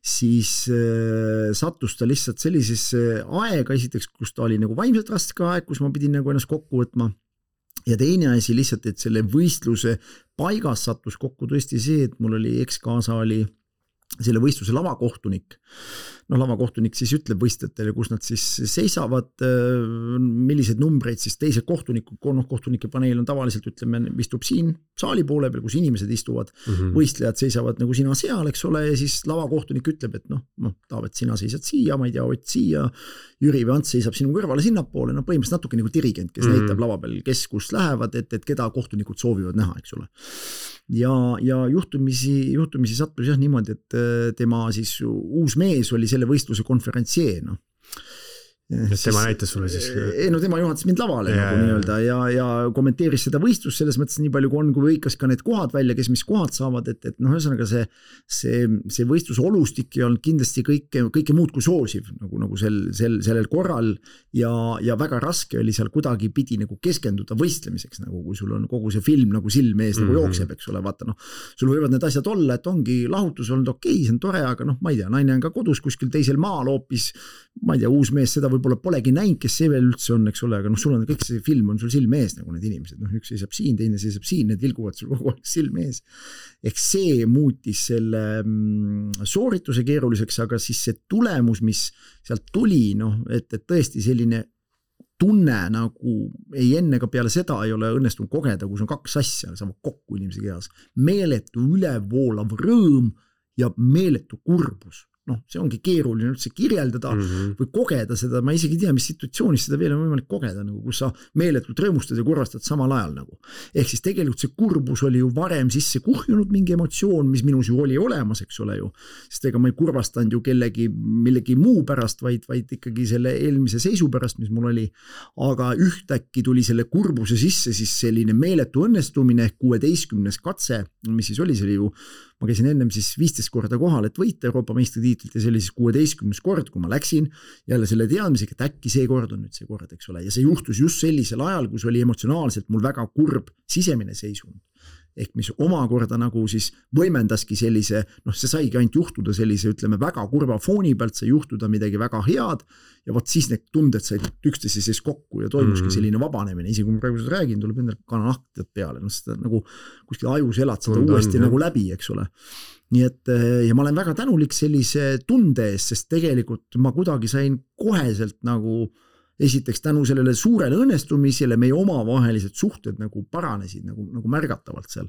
siis äh, sattus ta lihtsalt sellisesse aega esiteks, kus ta oli nagu vaimselt raske aeg, kus ma pidin nagu ennast kokku võtma. Ja teine asi lihtsalt, et selle võistluse paigas sattus kokku tõesti see, et mul oli ekskaasa oli selle võistluse lavakohtunik. No lavakohtunik siis ütleb võistlejatele, kus nad siis seisavad, milliseid numbreid siis teised kohtunikud, noh kohtunike paneel on tavaliselt, ütleme, istub siin saali poole peal, kus inimesed istuvad, mm-hmm. võistlejad seisavad nagu sina seal, eks ole, ja siis lavakohtunik ütleb, et noh, noh, Taavet, sina seisad siia, ma ei tea, Ott siia, Jüri või Ants seisab sinu kõrvale sinnapoole, no põhimõtteliselt natuke nagu dirigent, kes mm-hmm. näitab lava peal, kes kus lähevad, et, et keda kohtunikud soovivad näha, eks ole. Ja, ja juhtumisi, juhtumisi sattus jah niimoodi, et tema siis uus mees oli selle võistluse konferentsieer, noh.
Et tema näitas sulle siis?
Ei, no tema juhatas mind lavale ja, nagu nii-öelda ja, ja kommenteeris seda võistlust selles mõttes nii palju, kui on, kui võikas ka need kohad välja, kes mis kohad saavad, et, et noh, ühesõnaga see, see, see võistluse olustik ei olnud kindlasti kõike, kõike muud kui soosiv, nagu, nagu sel, sel, sellel korral ja, ja väga raske oli seal kuidagi pidi nagu keskenduda võistlemiseks, nagu kui sul on kogu see film nagu silme ees nagu jookseb, eks ole, vaata noh, sul võivad need asjad olla, et ongi lahutus olnud okei, see on tore, aga noh, ma ei tea, naine on ka kodus kuskil teisel maal hoopis, ma ei tea, uus mees seda võib-olla polegi näinud, kes see veel üldse on, eks ole, aga noh, sul on kõik see film on sul silme ees nagu need inimesed, noh, üks seisab siin, teine seisab siin, need vilguvad sul kogu aeg silme ees. Ehk see muutis selle mm, soorituse keeruliseks, aga siis see tulemus, mis sealt tuli, noh, et, et tõesti selline tunne nagu ei enne ka peale seda ei ole õnnestunud kogeda, kus on kaks asja, saavad kokku inimese kehas. Meeletu ülevoolav rõõm ja meeletu kurbus. Noh, see ongi keeruline üldse kirjeldada mm-hmm. või kogeda seda, ma isegi ei tea, mis situatsioonis seda veel on võimalik kogeda, nagu, kus sa meeletult rõõmustad ja kurvastad samal ajal. Nagu. Ehk siis tegelikult see kurbus oli ju varem sisse kuhjunud mingi emotsioon, mis minus ju oli olemas, eks ole ju. Sest ega ma ei kurvastanud ju kellegi millegi muu pärast, vaid, vaid ikkagi selle eelmise seisu pärast, mis mul oli. Aga ühtäkki tuli selle kurbuse sisse siis selline meeletu õnnestumine ehk kuueteistkümnes katse, mis siis oli, see oli ju ma käisin ennem siis viisteist korda kohal, et võita Euroopa meistritiitlit ja see oli siis kuueteistkümnes kord, kui ma läksin jälle selle teadmisega, et äkki see kord on nüüd see kord, eks ole. Ja see juhtus just sellisel ajal, kus oli emotsionaalselt mul väga kurb sisemine seisund. Ehk mis omakorda nagu siis võimendaski sellise, noh see saigi ainult juhtuda sellise, ütleme väga kurva fooni pealt, sai juhtuda midagi väga head ja võt siis need tunded said üksteise siis kokku ja toimuski mm-hmm. selline vabanemine. Isegi kui ma praegu seda räägin, tuleb endal kananahtjad peale, no seda nagu kuskil ajus elad seda Tund uuesti on, nagu läbi, eks ole. Nii et ja ma olen väga tänulik sellise tunde eest, sest tegelikult ma kuidagi sain koheselt nagu esiteks tänu sellele suurele õnnestumisele meie omavahelised suhted nagu paranesid nagu, nagu märgatavalt seal.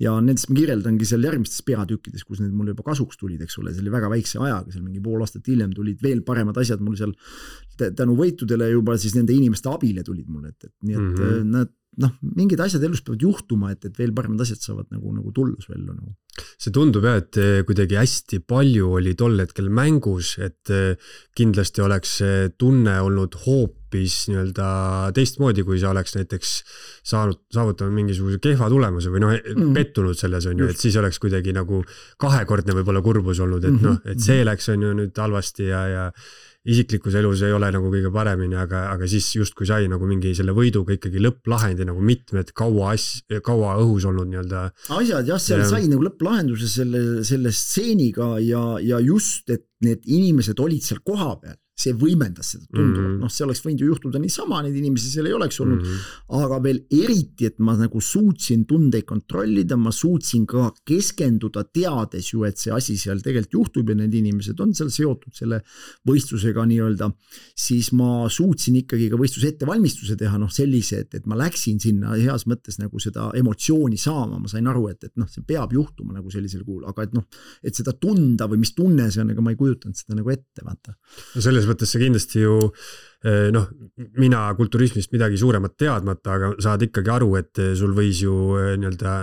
Ja nendest ma kirjeldangi seal järgmistes peatükkides, kus need mulle juba kasuks tulid, eks ole, see oli väga väikse ajaga, seal mingi pool aastat hiljem tulid veel paremad asjad mul seal tänu võitudele juba siis nende inimeste abile tulid mulle, et, et nii et mm-hmm. nad noh, mingid asjad elus peavad juhtuma, et, et veel paremad asjad saavad nagu, nagu tullus välja. Nagu.
See tundub jah, et kuidagi hästi palju oli tol hetkel mängus, et kindlasti oleks tunne olnud hoopis nii-öelda teistmoodi, kui sa oleks näiteks saanud, saavutanud mingisuguse kehva tulemuse või noh, mm. pettunud selles on ju, et siis oleks kuidagi nagu kahekordne võib-olla kurbus olnud, et mm-hmm. noh, et see läks on ju nüüd halvasti ja, ja isiklikus elus ei ole nagu kõige paremini, aga, aga siis just kui sai nagu mingi selle võiduga ikkagi lõpplahendi nagu mitmed kaua, as, kaua õhus olnud nii-öelda.
Asjad jah, seal ja... sai nagu lõpplahenduse selle, selle stseeniga ja, ja just, et need inimesed olid seal koha peal. See võimendas seda tunduvalt, mm-hmm. noh see oleks võinud ju juhtuda niisama, need inimesi seal ei oleks olnud, mm-hmm. aga veel eriti, et ma nagu suutsin tundeid kontrollida, ma suutsin ka keskenduda teades ju, et see asi seal tegelikult juhtub ja need inimesed on seal seotud selle võistlusega nii-öelda, siis ma suutsin ikkagi ka võistluse ettevalmistuse teha, noh sellise, et, et ma läksin sinna heas mõttes nagu seda emotsiooni saama, ma sain aru, et, et noh, see peab juhtuma nagu sellisel kuul, aga et noh, et seda tunda või mis tunne see on, ega ma ei kujutanud seda nagu ette, vaata.
No selles mõttes see kindlasti ju, noh, mina kulturismist midagi suuremat teadmata, aga saad ikkagi aru, et sul võis ju nii-öelda,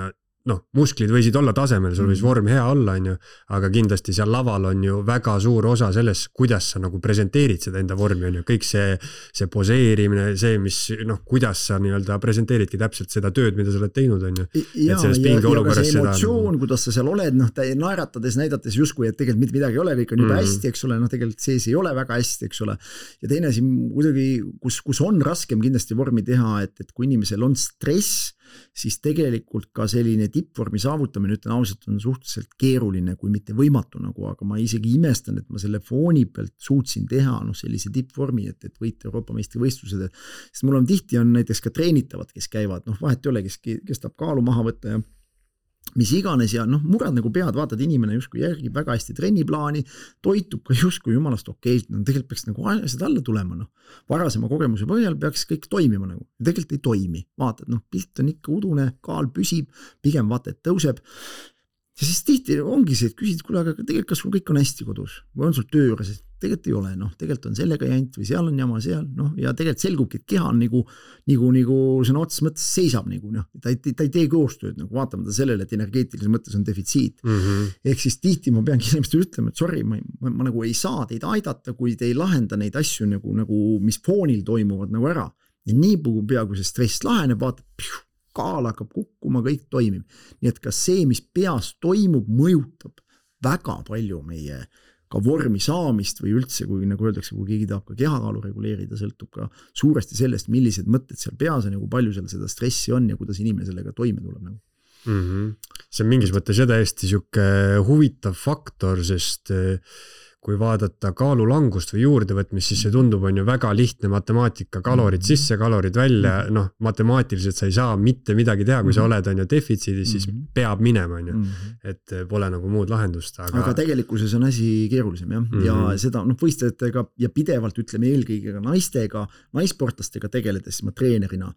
noh, musklid võisid olla tasemel, sul võis vorm hea olla, on ju, aga kindlasti seal laval on ju väga suur osa selles, kuidas sa nagu presenteerid seda enda vormi, on ju, kõik see, see poseerimine, see, mis, noh, kuidas sa nii-öelda presenteeridki täpselt seda tööd, mida sa oled teinud, on ju.
Ja, ja, ja ka see emotsioon, seda... kuidas sa seal oled, noh, naeratades, näidates justkui, et tegelikult mitte midagi ei ole, kõik on juba mm. hästi, eks ole, noh, tegelikult sees ei ole väga hästi, eks ole. Ja teine asi, kuidagi, kus, kus on raskem kindlasti vormi teha, et, et kui inimesel on stress, siis tegelikult ka selline tippvormi saavutamine, ütlen ausalt, on suhteliselt keeruline, kui mitte võimatu nagu, aga ma isegi imestan, et ma selle fooni pealt suutsin teha noh, sellise tippvormi, et, et võita Euroopa meistrivõistlused, sest mul on tihti on näiteks ka treenitavad, kes käivad, noh vahet ei ole, kes, kes tahab kaalu maha võtta ja mis iganes ja noh, murad nagu pead, vaatad inimene justkui järgib väga hästi trenniplaani, toitub ka justkui jumalast okeilt, no tegelikult peaks nagu asjad alla tulema, noh. Varasema kogemuse põhjal peaks kõik toimima nagu, tegelikult ei toimi, vaatad, noh, pilt on ikka udune, kaal püsib, pigem vaata, et tõuseb. Ja siis tihti ongi see, et küsid, kuule, aga tegelikult kas sul kõik on hästi kodus või on sul töö juures, tegelikult ei ole, noh, tegelikult on sellega jant või seal on jama seal, noh, ja tegelikult selgubki, et keha on nagu, nagu, nagu sõna otseses mõttes seisab nagu, noh, ta ei, ta ei tee koostööd, nagu vaatamata sellele, et energeetilises mõttes on defitsiit. Mm-hmm. Ehk siis tihti ma peangi inimestele ütlema, et sorry, ma, ma, ma nagu ei saa teid aidata, kui te ei lahenda neid asju nagu, nagu mis foonil toimuvad nagu ära. Ja nii pea, kui see stress laheneb, vaatab, pjuh, kaal hakkab kukkuma, kõik toimib. Nii et ka see, mis peas toimub, mõjutab väga palju meie ka vormi saamist või üldse, kui nagu öeldakse, kui keegi tahab ka kehakaalu reguleerida, sõltub ka suuresti sellest, millised mõtted seal peas on ja kui palju seal seda stressi on ja kuidas inimene sellega toime tuleb. Nagu.
Mm-hmm. See on mingis mõttes ja täiesti siuke huvitav faktor, sest kui vaadata kaalulangust või juurdevõtmist, siis see tundub on ju väga lihtne matemaatika, kalorid sisse, kalorid välja, noh, matemaatiliselt sa ei saa mitte midagi teha, kui sa oled on ju defitsiidis, siis peab minema, on ju, et pole nagu muud lahendust.
Aga, aga tegelikkuses on asi keerulisem, jah, mm-hmm. ja seda, noh, võistlejatega ja pidevalt ütleme eelkõige ka naistega, naissportlastega tegeledes ma treenerina,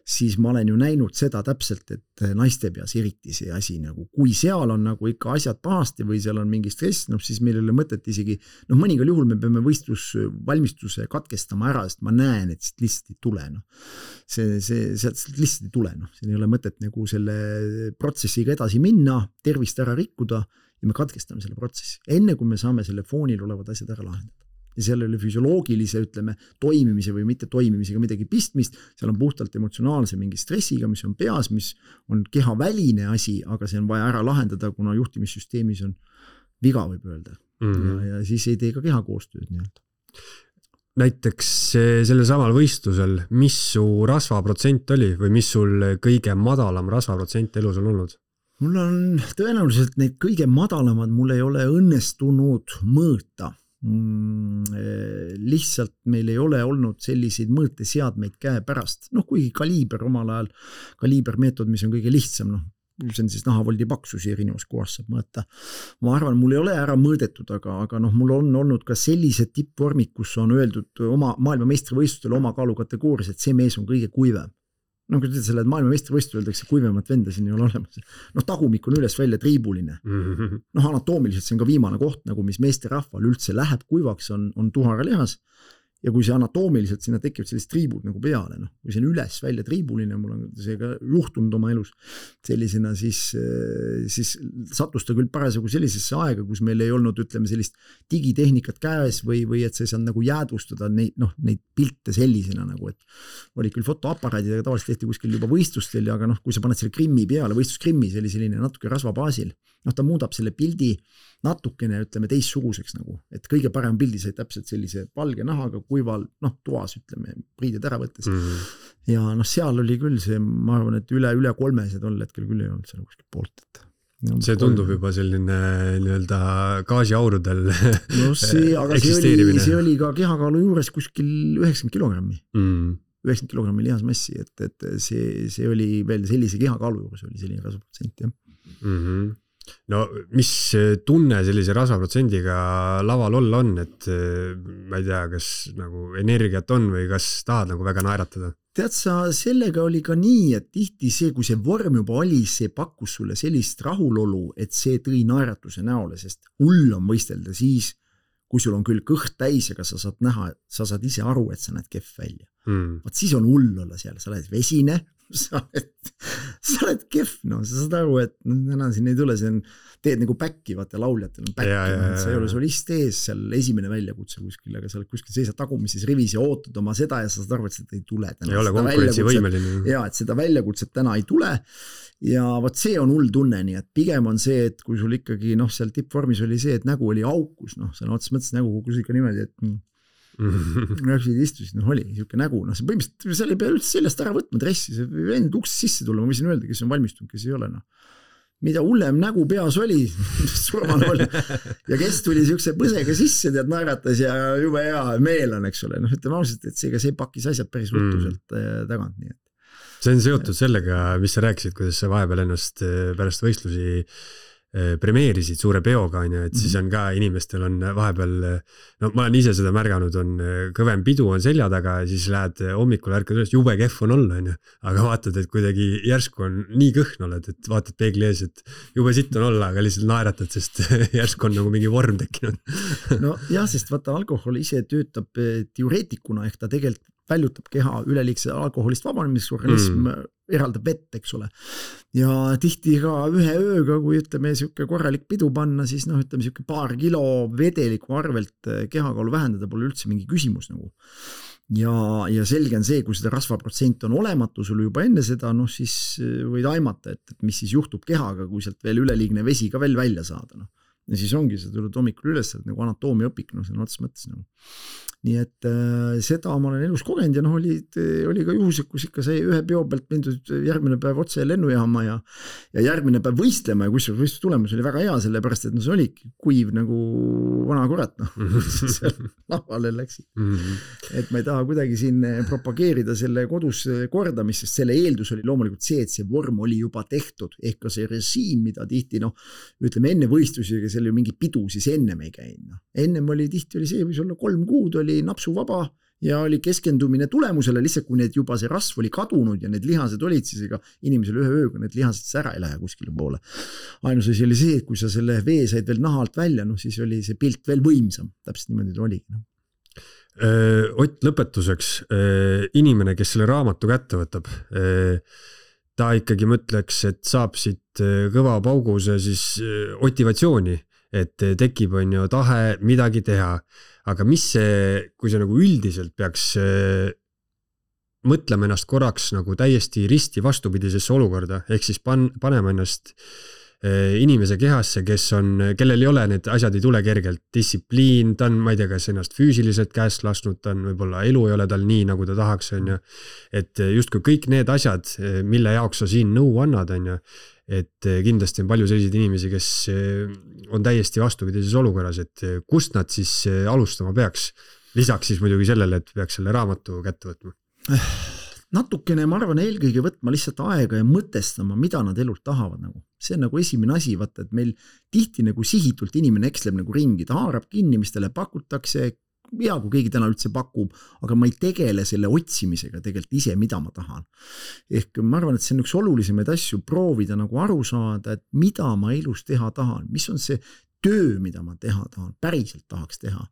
siis ma olen ju näinud seda täpselt, et naiste peas eriti see asi nagu, kui seal on nagu ikka asjad pahasti või seal on mingi stress, noh siis meil ei ole mõtet isegi, noh mõningal juhul me peame võistlusvalmistuse katkestama ära, sest ma näen, et siit lihtsalt ei tule, noh. See, see, sealt lihtsalt ei tule, noh. Siin ei ole mõtet nagu selle protsessiga edasi minna, tervist ära rikkuda ja me katkestame selle protsessi, enne kui me saame selle foonil olevad asjad ära lahendada. Ja seal ei ole füsioloogilise, ütleme, toimimise või mitte toimimisega midagi pistmist, seal on puhtalt emotsionaalse mingi stressiga, mis on peas, mis on kehaväline asi, aga see on vaja ära lahendada, kuna juhtimissüsteemis on viga, võib öelda. Mm-hmm. Ja, ja siis ei tee ka keha koostööd nii-öelda.
Näiteks selle samal võistlusel, mis su rasvaprotsent oli või mis sul kõige madalam rasvaprotsent elus on olnud?
Mul on tõenäoliselt neid kõige madalamad, mul ei ole õnnestunud mõõta. Lihtsalt meil ei ole olnud selliseid mõõteseadmeid käe pärast, noh kuigi kaliiber omal ajal, kaliibermeetod, mis on kõige lihtsam, noh see on siis nahavoldi paksusi erinevas kohas saab mõõta. Ma arvan, mul ei ole ära mõõdetud, aga, aga noh, mul on olnud ka sellised tippvormid, kus on öeldud oma maailmameistrivõistlustel oma kaalukategoorias, et see mees on kõige kuivem. No kui te selle maailmameistrivõistlustel öeldakse kuivemat venda, siin ei ole olemas. Noh, tagumik on üles välja triibuline. Noh, anatoomiliselt see on ka viimane koht, nagu mis meeste rahval üldse läheb kuivaks, on, on tuharalihas. Ja kui see anatoomiliselt sinna tekivad sellised triibud nagu peale, noh, kui see on üles välja triibuline, mul on see ka juhtunud oma elus sellisena, siis, siis sattus ta küll parasjagu sellisesse aega, kus meil ei olnud, ütleme, sellist digitehnikat käes või, või et see saab nagu jäädvustada neid, noh, neid pilte sellisena nagu, et oli küll fotoaparaadid, aga tavaliselt tehti kuskil juba võistlustel, aga noh, kui sa paned selle krimmi peale, võistluskrimmi, see oli selline natuke rasvabaasil, noh, ta muudab selle pildi natukene, ütleme, teissuguseks nagu, et kõige parem pildi sai täpselt sellise valge nahaga, kuival, noh, toas, ütleme, priided ära võttes. Mm-hmm. Ja noh, seal oli küll see, ma arvan, et üle, üle kolmesed on hetkel küll ei olnud seal kuskil poolt, et
no, see tundub kolme. Juba selline nii-öelda gaasiaurudel
no see, aga see oli, see oli ka kehakaalu juures kuskil üheksakümmend kilogrammi. Mm. üheksakümmend kilogrammi lihasmassi, et, et see, see oli veel sellise kehakaalu juures oli selline rasvaprotsent, jah.
Mm-hmm. No mis tunne sellise rasvaprotsendiga laval olla on, et ma ei tea, kas nagu energiat on või kas tahad nagu väga naeratada?
Tead sa, sellega oli ka nii, et tihti see, kui see vorm juba oli, see pakkus sulle sellist rahulolu, et see tõi naeratuse näole, sest hull on võistelda siis, kui sul on küll kõht täis, aga sa saad näha, sa saad ise aru, et sa näed kehv välja. Mm. Vaat siis on hull olla seal, sa oled vesine, sa oled, sa oled kehv, no sa saad aru, et no, täna siin ei tule, see on, teed nagu päkki, vaata lauljatel on päkki, no, sa ei ole solist ees seal esimene väljakutse kuskil, aga sa oled kuskil seisad tagumises rivis ja ootad oma seda ja sa saad aru, et seda ei tule.
Täna. Ei ole konkurentsivõimeline.
Ja, et seda väljakutset täna ei tule ja vaat see on hull tunne, nii et pigem on see, et kui sul ikkagi, noh, seal tippvormis oli see, et nägu oli aukus, noh, sa otses mõttes nägu kukus ikka niimoodi, et Rääksid istusid, noh oli niisugune nägu, noh see põhimõtteliselt seal ei pea üldse seljast ära võtma dressi, see vend uksest sisse tulla, ma võisin öelda, kes on valmistunud, kes ei ole, noh. Mida hullem nägu peas oli, surmal oli, ja kes tuli niisuguse põsega sisse, tead naeratas ja jube hea meel on, eks ole, noh ütleme ausalt, et see, ka see pakkis asjad päris ruttuselt tagant, nii et.
See on seotud sellega, mis sa rääkisid, kuidas sa vahepeal ennast pärast võistlusi premeerisid suure peoga, on ju, et siis on ka inimestel on vahepeal, no ma olen ise seda märganud, on kõvem pidu on selja taga ja siis lähed hommikul ärkad üles, jube kehv on olla, on ju, aga vaatad, et kuidagi järsku on nii kõhn oled, et vaatad peegli ees, et jube sitt on olla, aga lihtsalt naeratad, sest järsku on nagu mingi vorm tekkinud.
No jah, sest vaata alkohol ise töötab teoreetikuna, ehk ta tegelikult väljutab keha üleliigse alkoholist vabanemiseks, organism mm. eraldab vett, eks ole. Ja tihti ka ühe ööga, kui ütleme siuke korralik pidu panna, siis noh, ütleme siuke paar kilo vedeliku arvelt kehakaalu vähendada pole üldse mingi küsimus nagu. Ja, ja selge on see, kui seda rasvaprotsent on olematu sul juba enne seda, noh siis võid aimata, et, et mis siis juhtub kehaga, kui sealt veel üleliigne vesi ka veel välja saada. No. ja siis ongi, sa tuled hommikul üles, nagu anatoomia õpik, no see on otsas mõttes nagu. Nii et äh, seda ma olen elus kogenud ja noh, oli, oli ka juhused, kus ikka sai ühe peo pealt mindud järgmine päev otse lennujaama ja, ja järgmine päev võistlema ja kusjuures võistluse tulemus oli väga hea, sellepärast et no see oli kuiv nagu vana kurat, noh, seal lavale läksid. Mm-hmm. Et ma ei taha kuidagi siin propageerida selle kodus kordamist, sest selle eeldus oli loomulikult see, et see vorm oli juba tehtud, ehk ka see režiim, mida tihti, noh, ütleme enne võistlusi, aga seal ju mingi pidu siis ennem ei käinud. No. Ennem oli tihti oli see, võis olla kolm kuud, oli napsu vaba ja oli keskendumine tulemusele, lihtsalt kui need juba see rasv oli kadunud ja need lihased olid, siis ega inimesel ühe ööga need lihased ära ei lähe kuskile poole. Ainus asi oli see, et kui sa selle vee said veel naha alt välja, no siis oli see pilt veel võimsam, täpselt niimoodi oligi. No.
Ott, lõpetuseks, inimene, kes selle raamatu kätte võtab, ta ikkagi mõtleks, et saab siit kõva pauguse siis motivatsiooni, et tekib on ju tahe midagi teha, aga mis see, kui see nagu üldiselt peaks mõtlema ennast korraks nagu täiesti risti vastupidisesse olukorda, ehk siis pan, panema ennast inimese kehasse, kes on, kellel ei ole need asjad ei tule kergelt, distsipliin, ta on, ma ei tea, kas ennast füüsiliselt käest lasnud, ta on võib-olla elu ei ole tal nii, nagu ta tahaks, on ju, et justkui kõik need asjad, mille jaoks sa siin nõu annad, on ju, et kindlasti on palju selliseid inimesi, kes on täiesti vastupidises olukorras, et kust nad siis alustama peaks, lisaks siis muidugi sellele, et peaks selle raamatu kätte võtma.
Natukene, ma arvan, eelkõige võtma lihtsalt aega ja mõtestama, mida nad elult tahavad. Nagu. See on nagu esimene asi, vaata, et meil tihti nagu sihitult inimene eksleb nagu ringi, ta haarab kinni, mis talle pakutakse, hea, kui keegi täna üldse pakub, aga ma ei tegele selle otsimisega tegelikult ise, mida ma tahan. Ehk ma arvan, et see on üks olulisemaid asju, proovida nagu aru saada, et mida ma elus teha tahan, mis on see töö, mida ma teha tahan, päriselt tahaks teha.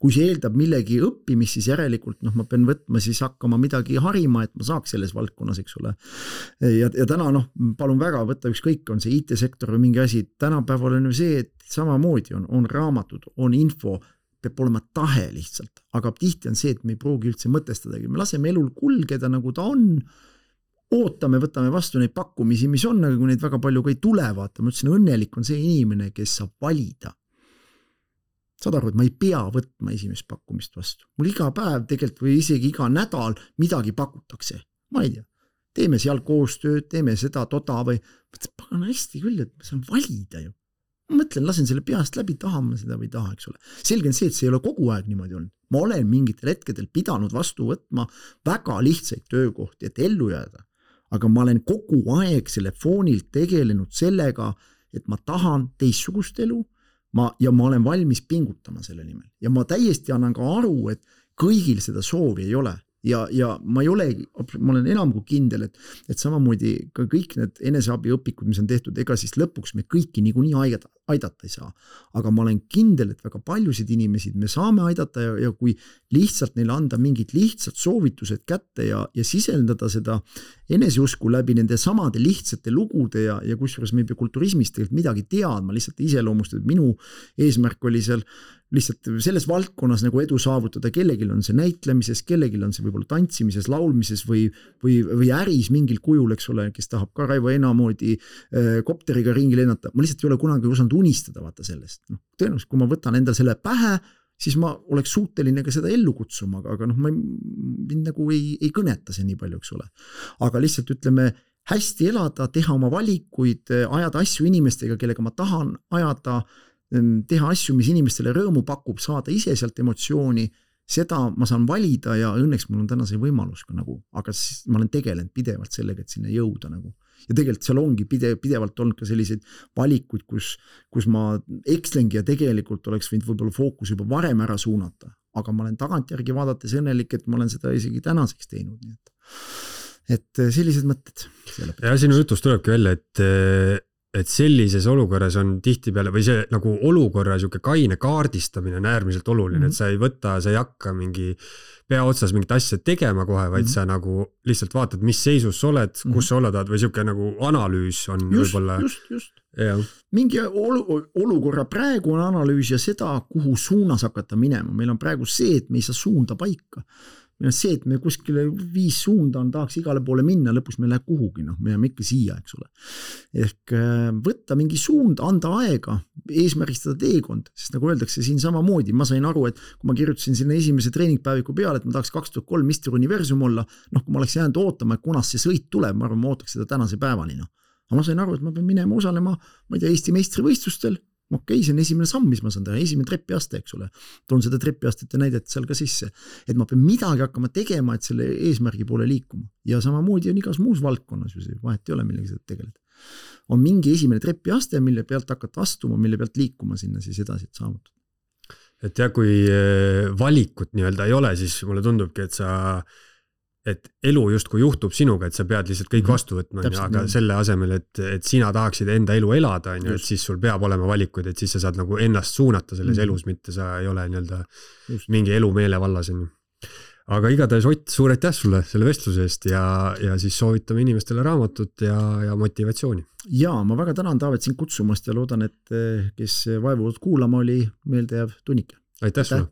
Kui see eeldab millegi õppimist, siis järelikult noh, ma pean võtma siis hakkama midagi harima, et ma saaks selles valdkonnas, eks ole. Ja, ja täna noh, palun väga võtta ükskõik, on see I T-sektor või mingi asi, tänapäeval on ju see, et samamoodi on, on raamatud, on info, peab olema tahe lihtsalt, aga tihti on see, et me ei pruugi üldse mõtestadagi, me laseme elul kulgeda nagu ta on, ootame, võtame vastu neid pakkumisi, mis on, aga kui neid väga palju ka ei tule, vaata, ma ütlesin, õnnelik on see inimene, kes saab valida. Saad aru, et ma ei pea võtma esimest pakkumist vastu. Mul iga päev tegelikult või isegi iga nädal midagi pakutakse. Ma ei tea, teeme seal koostööd, teeme seda toda või pagan hästi küll, et ma saan valida ju. Ma mõtlen, lasen selle peast läbi, tahan ma seda või taha, eks ole. Selge on see, et see ei ole kogu aeg niimoodi olnud. Ma olen mingitel hetkedel pidanud vastu võtma väga lihtsaid töökohti, et ellu jääda. Aga ma olen kogu aeg selle foonilt tegelenud sellega, et ma tahan teistsugust elu, Ma, ja ma olen valmis pingutama selle nimel. Ja ma täiesti annan ka aru, et kõigil seda soovi ei ole. Ja, ja ma ei olegi, ma olen enam kui kindel, et, et samamoodi ka kõik need eneseabi õpikud, mis on tehtud, ega siis lõpuks me kõiki niikuinii aidata, aidata ei saa. Aga ma olen kindel, et väga paljusid inimesid me saame aidata ja, ja kui lihtsalt neile anda mingid lihtsad soovitused kätte ja, ja sisendada seda eneseusku läbi nende samade lihtsate lugude ja, ja kusjuures me ei pea kulturismist tegelikult midagi teadma, lihtsalt iseloomust, et minu eesmärk oli seal lihtsalt selles valdkonnas nagu edu saavutada, kellegil on see näitlemises, kellegil on see võib-olla tantsimises, laulmises või, või, või äris mingil kujul, eks ole, kes tahab ka Raivo Eena moodi äh, kopteriga ringi lennata. Ma lihtsalt ei ole kunagi osanud unistada vaata sellest. No, tõenäoliselt, kui ma võtan endal selle pähe, siis ma oleks suuteline ka seda ellu kutsuma, aga noh, ma ei, mind nagu ei, ei kõneta see nii palju, eks ole. Aga lihtsalt ütleme, hästi elada, teha oma valikuid, ajada asju inimestega, kellega ma tahan ajada, teha asju, mis inimestele rõõmu pakub, saada ise sealt emotsiooni, seda ma saan valida ja õnneks mul on täna see võimalus ka nagu, aga siis ma olen tegelenud pidevalt sellega, et sinna jõuda nagu. Ja tegelikult seal ongi pide, pidevalt olnud ka selliseid valikuid, kus, kus ma ekslengi ja tegelikult oleks võinud võib-olla fookus juba varem ära suunata, aga ma olen tagantjärgi vaadates õnnelik, et ma olen seda isegi tänaseks teinud, nii et, et sellised mõtted.
Ja sinu jutust tulebki välja, et et sellises olukorras on tihtipeale või see nagu olukorra siuke kaine kaardistamine on äärmiselt oluline, mm-hmm. et sa ei võta, sa ei hakka mingi pea otsas mingit asja tegema kohe, vaid mm-hmm. sa nagu lihtsalt vaatad, mis seisus sa oled, mm-hmm. kus sa olla tahad või siuke nagu analüüs on
just,
võib-olla.
Just, just. Ja. Mingi olu, olukorra praegu on analüüs ja seda, kuhu suunas hakata minema. Meil on praegu see, et me ei saa suunda paika. Meil on see, et me kuskile viis suunda on, tahaks igale poole minna, lõpuks me läheb kuhugi, noh, me jääme ikka siia, eks ole. Ehk võtta mingi suund, anda aega, eesmärgistada teekond, sest nagu öeldakse siin samamoodi, ma sain aru, et kui ma kirjutasin sinna esimese treeningpäeviku peale, et ma tahaks kaks tuhat kolm mister Universum olla, noh, kui ma oleks jäänud ootama, et kunas see sõit tuleb, ma arvan, ma ootaks seda tänase päevani, noh. Aga ma sain aru, et ma pean minema osalema, ma ei tea, Eesti meistrivõistlustel, okei, see on esimene samm, mis ma saan teha, esimene trepiaste, eks ole. Toon seda trepiastete näidet seal ka sisse, et ma pean midagi hakkama tegema, et selle eesmärgi poole liikuma. Ja samamoodi on igas muus valdkonnas, vahet ei ole, millega seda tegeleda. On mingi esimene trepiaste, mille pealt hakata astuma, mille pealt liikuma sinna siis edasi saavutada.
Et ja kui valikut nii-öelda ei ole, siis mulle tundubki, et sa et elu justkui juhtub sinuga, et sa pead lihtsalt kõik vastu võtma, mm-hmm. aga nii. Selle asemel, et, et sina tahaksid enda elu elada, on ju, et siis sul peab olema valikuid, et siis sa saad nagu ennast suunata selles mm-hmm. elus, mitte sa ei ole nii-öelda mingi elu meele vallas. Aga igatahes Ott, suur aitäh sulle selle vestluse eest ja, ja siis soovitame inimestele raamatut ja, ja motivatsiooni.
Ja, ma väga tänan Taavet siin kutsumast ja loodan, et kes vaevunud kuulama oli meeldejääv tunnike.
Aitäh sulle!